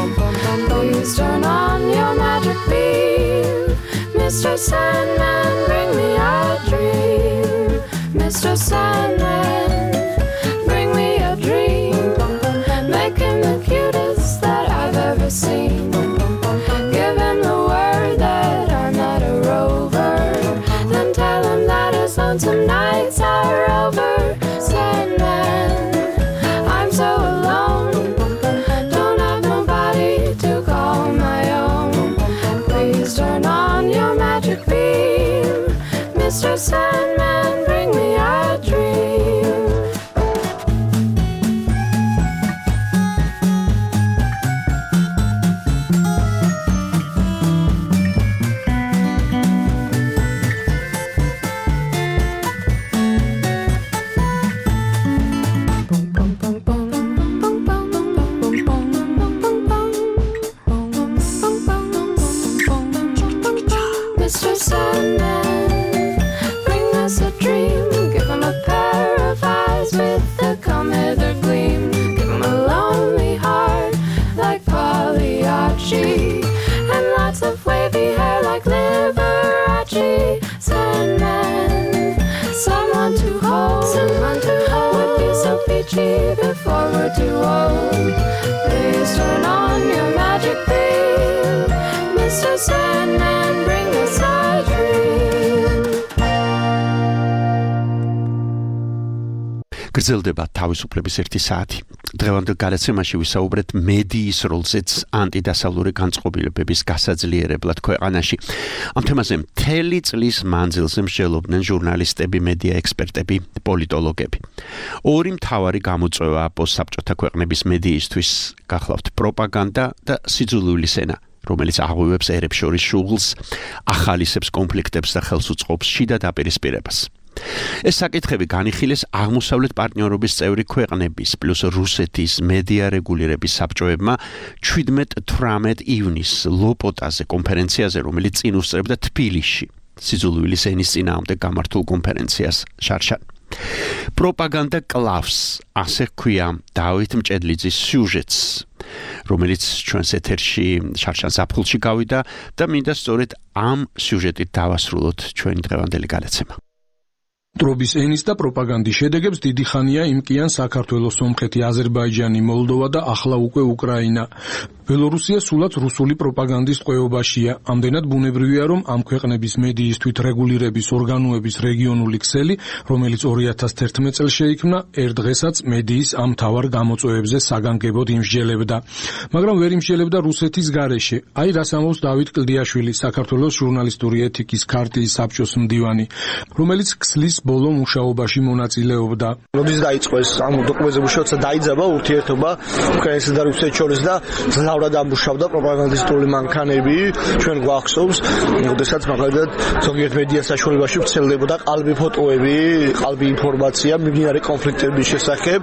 Please turn on your magic beam. Mr. Sandman, bring me a dream. Mr. Sandman, bring me a dream. Make him the cutest that I've ever seen. Give him the word that I'm not a rover. Then tell him that his lonesome nights are over. Sandman, I'm so alone. Don't have nobody to call my own. Please turn on your magic beam. Mr. Sandman, bring me a dream. Fiji before we're too old. Please turn on your magic beam, Mr. Sandman, bring us our dream. გრძელდება თავისუფლების 1 საათი. დღევანდელ გადაცემაში ვისაუბრეთ მედიის როლზეც ანტიდასავლური განწყობილებების გასაძლიერებლად ქვეყანაში. ამ თემაზე მთელი წლის მანძილზე მსჯელობდნენ ჟურნალისტები, მედია ექსპერტები, პოლიტოლოგები. ორი მთავარი გამოწვევა პოსტსაბჭოთა ქვეყნების მედიისთვის გახლავთ პროპაგანდა და სიძულვილი სენა, რომელიც აღღვევებს ერებს შორის შუღლს, ახალისებს კონფლიქტებს და ხელს უწყობს შიდა დაპირისპირებას. ეს საკითხები განიხილეს აღმოსავლეთ პარტნიორობის წევრი ქვეყნების პლუს რუსეთის მედია რეგულირების საბჭოებმა 17-18 ივნისს ლოპოტაზე კონფერენციაზე, რომელიც წინ უსწრებდა თბილისში სიძულვილის ენის წინააღმდეგ გამართულ კონფერენციას შარშან. პროპაგანდა კლავს, ასე ჰქვია დავით მჭედლიძის სიუჟეტს, რომელიც ჩვენს ეთერში შარშან ზაფხულში გავიდა და მინდა სწორედ ამ სიუჟეტით დავასრულოთ ჩვენი დღევანდელი გადაცემა. ტრობის ენის და პროპაგანდის შედეგებს დიდი ხანია იმკიან საქართველოს, სომხეთი, აზერბაიჯანი, მოლდოვა და ახლა უკვე უკრაინა. ბელორუსია სულაც რუსული პროპაგანდის ტყვეობაშია. ამდენად ბუნებრივია, რომ ამ ქვეყნების მედიის თვითრეგულირების ორგანოების რეგიონული ქსელი, რომელიც 2011 წელს შეიქმნა, ერთ დღესაც მედიის ამ მთავარ გამოწვევებზე საგანგებოდ იმსჯელებდა. მაგრამ ვერ იმსჯელებდა რუსეთის გარეშე. აი რას ამბობს დავით კლდიაშვილი, საქართველოს ჟურნალისტური ეთიკის ქარტიის საბჭოს მდივანი, რომელიც ქსლის ბოლო მუშაობაში მონაწილეობდა. როდის დაიწყო ეს ამ დოკუმენტზე მუშაობა, დაიძაბა ურთიერთობა უკრაინასა და რუსეთის შორის და ძლავრად ამუშავდა პროპაგანდისტული მანქანები. ჩვენ გვახსოვს, როდესაც მაგალითად ზოგიერთ მედია საშუალებაში ვრცელდებოდა ყალბი ფოტოები, ყალბი ინფორმაცია მიმდინარე კონფლიქტების შესახებ.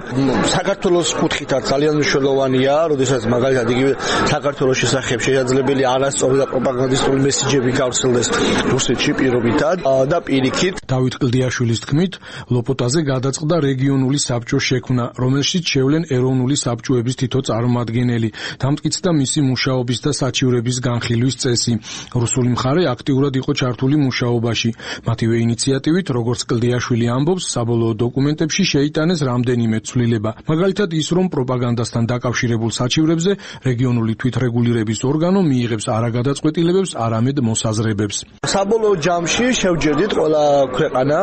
საქართველოს კუთხითაც ძალიან მნიშვნელოვანია, როდესაც მაგალითად იგივე საქართველოს შესახებ შესაძლებელი არასწორი და პროპაგანდისტული მესიჯები გავრცელდეს რუსეთში პირობითად და პირიქით. დავით კლდიაშვილის თქმით, ლოპოტაზე გადაწყდა რეგიონული საბჭოს შექმნა, რომელშიც შევლენ ეროვნული საბჭოების თითო წარმომადგენელი, დამტკიცდა მისი მუშაობის და საჩივრების განხილვის წესი. რუსული მხარე აქტიურად იყო ჩართული მუშაობაში. მათივე ინიციატივით, როგორც კლდიაშვილი ამბობს, საბოლოო დოკუმენტებში შეიტანეს რამდენიმე ცვლილება. მაგალითად ის, რომ პროპაგანდასთან დაკავშირებულ საჩივრებზე რეგიონული თვითრეგულირების ორგანო მიიღებს არა გადაწყვეტილებებს, არამედ მოსაზრებებს. საბოლოო ჯამში შევჯერდით ყველა ქვეყანა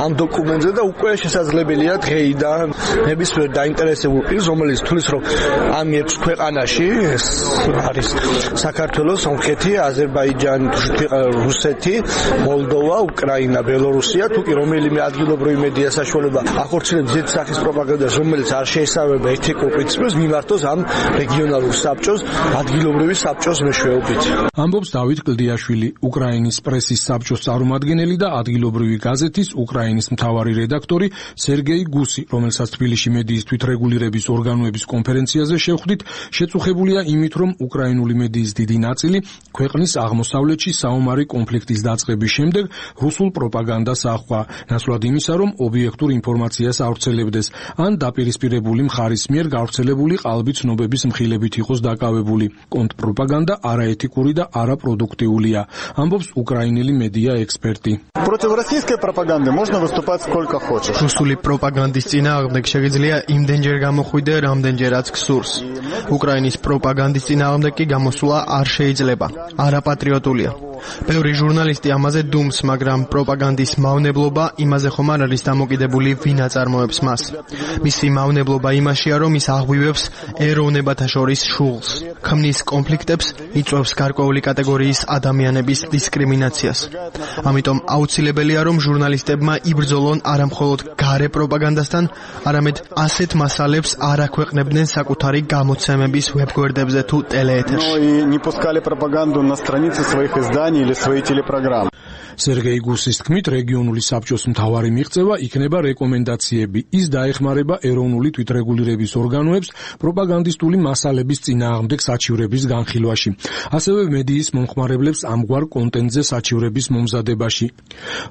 ამ დოკუმენტზე და უკვე შესაძლებელია დღეიდან ნებისმიერ დაინტერესებულ პირს, რომელიც თulis რომ ამ 6 ქვეყანაში ეს არის საქართველოს, სომხეთი, აზერბაიჯანი, რუსეთი, მოლდოვა, უკრაინა, ბელორუსია, თუ კი რომელიმე ადგილობრივი მედია საშუალება ახორციელებს ზედ სახის პროპაგანდას, რომელიც არ შეესაბამება ეთიკურ პრინციპებს, მიმართოს ამ რეგიონალურ საბჭოს, ადგილობრივი საბჭოს მეშვეობით. ამბობს დავით კლდიაშვილი, უკრაინის პრესის საბჭოს წარმომადგენელი და ადგილობრივი გაზეთის უკრაინის მთავარი რედაქტორი სერგეი გუსი, რომელსაც თბილისში მედიის თვითრეგულირების ორგანოების კონფერენციაზე შევხვდით, შეწუხებულია იმით, რომ უკრაინული მედიის დიდი ნაწილი ქვეყნის აღმოსავლეთში საომარი კონფლიქტის დაწყების შემდეგ რუსულ პროპაგანდას აჰყვა, ნაცვლად იმისა, რომ ობიექტურ ინფორმაციას ავრცელებდეს, ან დაპირისპირებული მხარის მიერ გავრცელებული ყალბი ცნობების მხილებით იყოს დაკავებული. კონტრპროპაგანდა არაეთიკური და არაპროდუქტიულია, ამბობს უკრაინელი მედია ექსპერტი. Против российской пропаганды можно выступать сколько хочешь. რუსული პროპაგანდის წინააღმდეგ შეგიძლია იმდენჯერ გამოხვიდე, რამდენჯერაც გსურს. უკრაინის პროპაგანდის წინააღმდეგ კი გამოსვლა არ შეიძლება. არაპატრიოტულია. ბევრი ჟურნალისტი ამაზე დუმს, მაგრამ პროპაგანდის მავნებლობა იმაზე ხომ არ არის დამოკიდებული, ვინ აწარმოებს მას. მისი მავნებლობა იმაშია, რომ ის აღვივებს ეროვნებათა შორის შუღლს, ქმნის კონფლიქტებს, იწვევს გარკვეული კატეგორიის ადამიანების დისკრიმინაციას. ამიტომ აუცილებელია, რომ ჟურნალისტებმა იბრძოლონ არამხოლოდ გარე პროპაგანდასთან, არამედ ასეთ მასალებს არ აქვეყნებდნენ საკუთარი გამოცემების ვებგვერდებზე თუ ტელეეთერში. И не пускали пропаганду на страницы своих изданий или свои телепрограммы. სერგეი გუსის თქმით, რეგიონული საბჭოს მთავარი მიღწევა იქნება რეკომენდაციები. ის დაეხმარება ეროვნული თვითრეგულირების ორგანოებს პროპაგანდისტული მასალების წინააღმდეგ საჩივრების განხილვაში, ასევე მედიის მომხმარებლებს ამგვარ კონტენტზე საჩივრების მომზადებაში.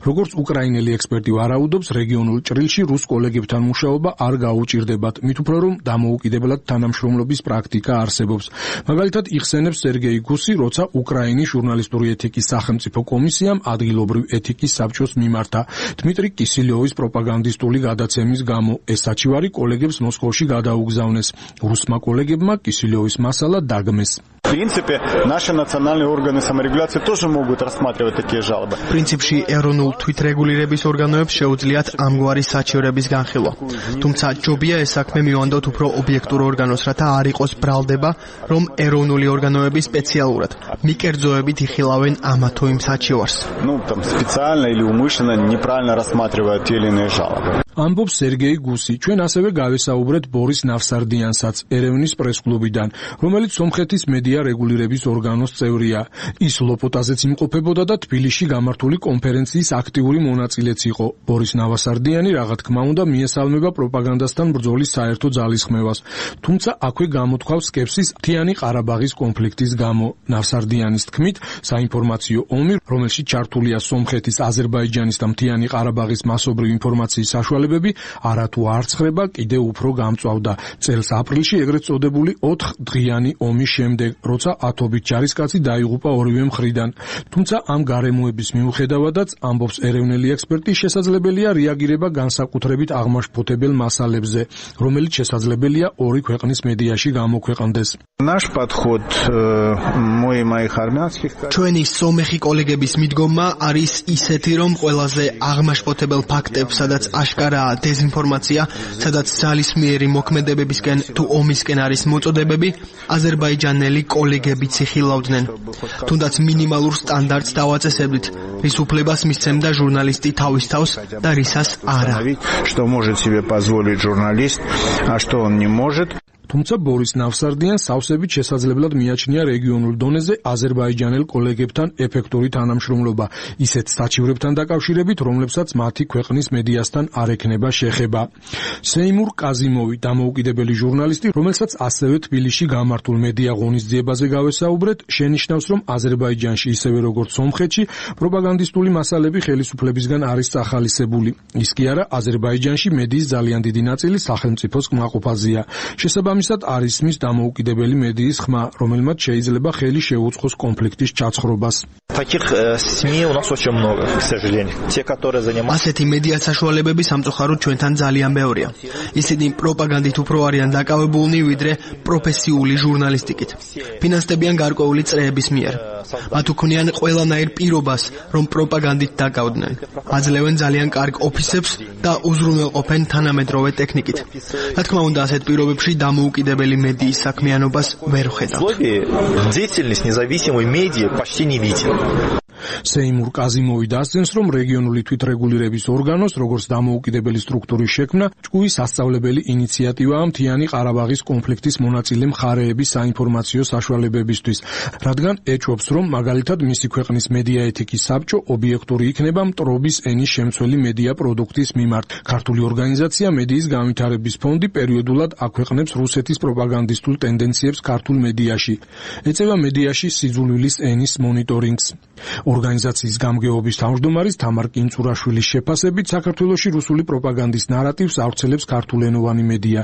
როგორც უკრაინელი ექსპერტი ვარაუდობს, რეგიონულ ჭრილში რუს კოლეგებთან მუშაობა არ გაუჭირდებათ, მით უფრო რომ დამოუკიდებლად თანამშრომლობის პრაქტიკა არსებობს. მაგალითად, იხსენებს სერგეი გუსი, როცა უკრაინის ჟურნალისტური ეთიკის სახელმწიფო კომისიამ ადგილობრივ ადგილობრივ ეთიკის საბჭოს მიმართა. დმიტრი კისილიოვის პროპაგანდისტული გადაცემის გამო ეს საჩივარი კოლეგებს მოსკოვში გადაუგზავნეს. რუსმა კოლეგებმა კისილიოვის მასალა დაგმეს. В принципе, наши национальные органы саморегуляции тоже могут рассматривать такие жалобы. პრინციპში ეროვნულ თვითრეგულირების ორგანოებს შეუძლიათ ამგვარი საჩივრების განხილვა. თუმცა ჯობია ეს საქმე მივანდოთ უფრო ობიექტურ ორგანოს, რათა არ იყოს ბრალდება, რომ ეროვნული ორგანოები სპეციალურად მიკერძოებით იხილავენ ამა თუ იმ საჩივარს. Ну, там специально или умышленно неправильно рассматривают те или иные жалобы. ამბობს სერგეი გუსი. ჩვენ ასევე გავესაუბრეთ ბორის ნავსარდიანსაც ერევნის პრესკლუბიდან, რომელიც სომხეთის მედია რეგულირების ორგანოს წევრია. ის ლოპოტაზეც იმყოფებოდა და თბილისში გამართული კონფერენციის აქტიური მონაწილეც იყო. ბორის ნავსარდიანი რა თქმა უნდა მიესალმება პროპაგანდასთან ბრძოლის საერთო ძალისხმევას, თუმცა აქვე გამოთქვავს სკეპსის მთიანი ყარაბაღის კონფლიქტის გამო. ნავსარდიანის თქმით, საინფორმაციო ომი, რომელშიც ჩართულია სომხეთის, აზერბაიჯანის და მთიანი ყარაბაღის მასობრივი ინფორმაციის საშუალებები, არათუ არ ცხრება, კიდევ უფრო გამწვავდა. წელს აპრილში ეგრეთ წოდებული 4 დღიანი ომის შემდეგ, როცა ათობით ჯარისკაცი დაიღუპა ორივე მხრიდან. თუმცა ამ გარემოების მიუხედავადაც, ამბობს ეროვნული ექსპერტი, შესაძლებელია რეაგირება განსაკუთრებით აღმაშფოთებელ მასალებზე, რომელიც შესაძლებელია ორი ქვეყნის მედიაში გამოქვეყნდეს. Наш подход мой и моих армянских ჩვენი სომეხი კოლეგების მიდგომა არის ისეთი, რომ ყველაზე აღმაშფოთებელ ფაქტებს, სადაც აშკარაა დეზინფორმაცია, სადაც ძალისმიერი მოქმედებებისკენ თუ ომისკენ არის მოწოდებები, აზერბაიჯანელი კოლეგებიც იხილავდნენ. თუნდაც მინიმალურ სტანდარტს დავაწესებდით, რის უფლებას მისცემდა ჟურნალისტი თავის თავს და რისას არა. Что может себе позволить журналист, а что он не может. თუმცა ბორის ნავსარდიანს სავსებით შესაძლებლად მიაჩნია რეგიონულ დონეზე აზერბაიჯანელ კოლეგებთან ეფექტური თანამშრომლობა, ისეთ საჩივრებთან დაკავშირებით, რომლებსაც მათი ქვეყნის მედიასთან არ ექნება შეხება. სეიმურ კაზიმოვი, დამოუკიდებელი ჟურნალისტი, რომელსაც ასევე თბილისში გამართულ მედია ღონისძიებაზე გავესაუბრეთ, შენიშნავს, რომ აზერბაიჯანში ისევე როგორც სომხეთში პროპაგანდისტული მასალები ხელისუფლებისგან არის წახალისებული. ის კი არა, აზერბაიჯანში მედიის ძალიან დიდი ნაწილი სახელმწიფოს კმაყოფაზეა. შესაბამისად არის მის დამოუკიდებელი მედიის ხმა, რომელმაც შეიძლება ხელი შეუწყოს კონფლიქტის ჩაცხრობას. Таких СМИ у нас очень много, к сожалению. Те, которые занимаются ასეთი მედია საშუალებები სამწუხაროდ ჩვენთან ძალიან ბევრია. ისინი პროპაგანდით უფრო არიან დაკავებულნი, ვიდრე პროფესიული ჟურნალისტიკით. ფინანსდებიან გარკვეული წრეების მიერ. მათ უქმნიან ყველანაირ პირობას, რომ პროპაგანდით დაკავდნენ. აძლევენ ძალიან კარგ ოფისებს და უზრუნველყოფენ თანამედროვე ტექნიკით. რა თქმა უნდა, ასეთ პირობებში დამოუკიდებელი მედიის საქმიანობას ვერ ვხედავთ. деятельность независимой медиа почти не виден. სეიმურ კაზიმოვი დასძენს, რომ რეგიონული თვითრეგულირების ორგანოს, როგორც დამოუკიდებელი სტრუქტურის შექმნა, ჭკუის სასწავლებელი ინიციატივაა მთიანი ყარაბაღის კონფლიქტის მონაწილე მხარეების საინფორმაციო საშუალებებისთვის, რადგან ეჭვობს, რომ მაგალითად მისი ქვეყნის მედია ეთიკის საბჭო ობიექტური იქნება მტრობის ენის შემცველი მედია პროდუქტის მიმართ. ქართული ორგანიზაცია მედიის განვითარების ფონდი პერიოდულად აქვეყნებს რუსეთის პროპაგანდისტულ ტენდენციებს ქართულ მედიაში. ეწევა მედიაში სიძულვილის ენის მონიტორინგს. ორგანიზაციის გამგეობის თავმჯდომარის თამარ კინწურაშვილის შეფასებით, საქართველოში რუსული პროპაგანდის ნარატივს ავრცელებს ქართულენოვანი მედია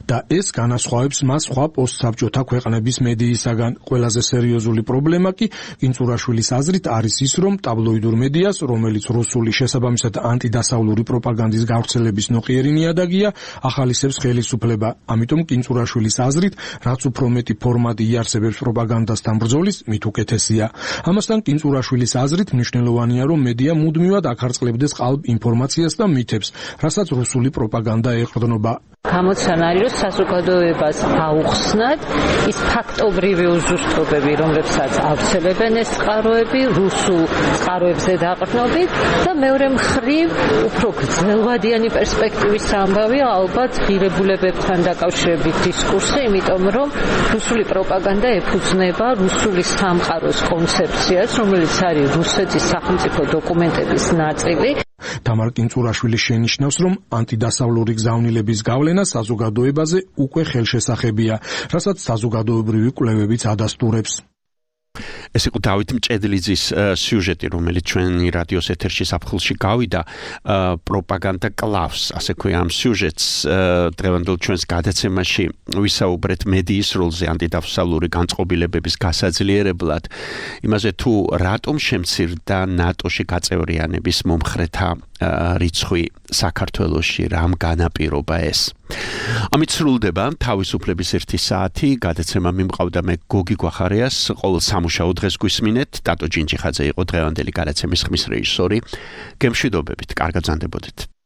და ეს განასხვავებს მას სხვა პოსტსაბჭოთა ქვეყნების მედიისაგან. ყველაზე სერიოზული პრობლემა კი კინწურაშვილის აზრით არის ის, რომ ტაბლოიდურ მედიას, რომელიც რუსული შესაბამისად ანტიდასავლური პროპაგანდის გავრცელების ნოყიერი ნიადაგია, ახალისებს ხელისუფლება. ამიტომ კინწურაშვილის აზრით, რაც უფრო მეტი ფორმატი იარსებებს პროპაგანდასთან ბრძოლის, მით უკეთესია. ამასთან კინწურაშვილის აზრით მნიშვნელოვანია, რომ მედია მუდმივად ახარწყლებდეს ყალბ ინფორმაციას და მითებს, რასაც რუსული პროპაგანდა ეყრდნობა. გამოცანარი, რომ საზოგადოებას აუხსნათ ის ფაქტობრივი უზუსტობები, რომლებსაც ავრცელებენ ეს წყაროები, რუსულ წყაროებზე დაყრდნობით და მეორე მხრივ უფრო გრძელვადიანი პერსპექტივის ამბავია ალბათ ღირებულებებთან დაკავშირებით დისკურსი, იმიტომ რომ რუსული პროპაგანდა ეფუძნება რუსული სამყაროს კონცეფციას, რომელიც არის რუსეთის სახელმწიფო დოკუმენტების ნაწილი. თამარ კინწურაშვილი შენიშნავს, რომ ანტიდასავლური გზავნილების გავლენა საზოგადოებაზე უკვე ხელშესახებია, რასაც საზოგადოებრივი კვლევებიც ადასტურებს. ეს იყო დავით მჭედლიძის სიუჟეტი, რომელიც ჩვენი რადიოს ეთერში საფხულში გავიდა, პროპაგანდა კლავს, ასე ქვია ამ სიუჟეტს. დღევანდელ ჩვენს გადაცემაში ვისაუბრეთ მედიის როლზე ანტიდავსალური განწყობილებების გასაძლიერებლად, იმაზე თუ რატომ შემცირდა ნატოში გაწევრიანების მომხრეთა რიცხვი საქართველოში, რამ განაპირობა ეს. ამით სრულდება თავისუფლების 1 საათი, გადაცემა მიმყავდა მე გოგი გვახარიას, ყოველ სამუშაო დღეს გვისმინეთ, ტატო ჯინჯიხაძე იყო დღევანდელი გადაცემის ხმის რეჟისორი. გემშვიდობებით, კარგად ბრძანდებოდეთ.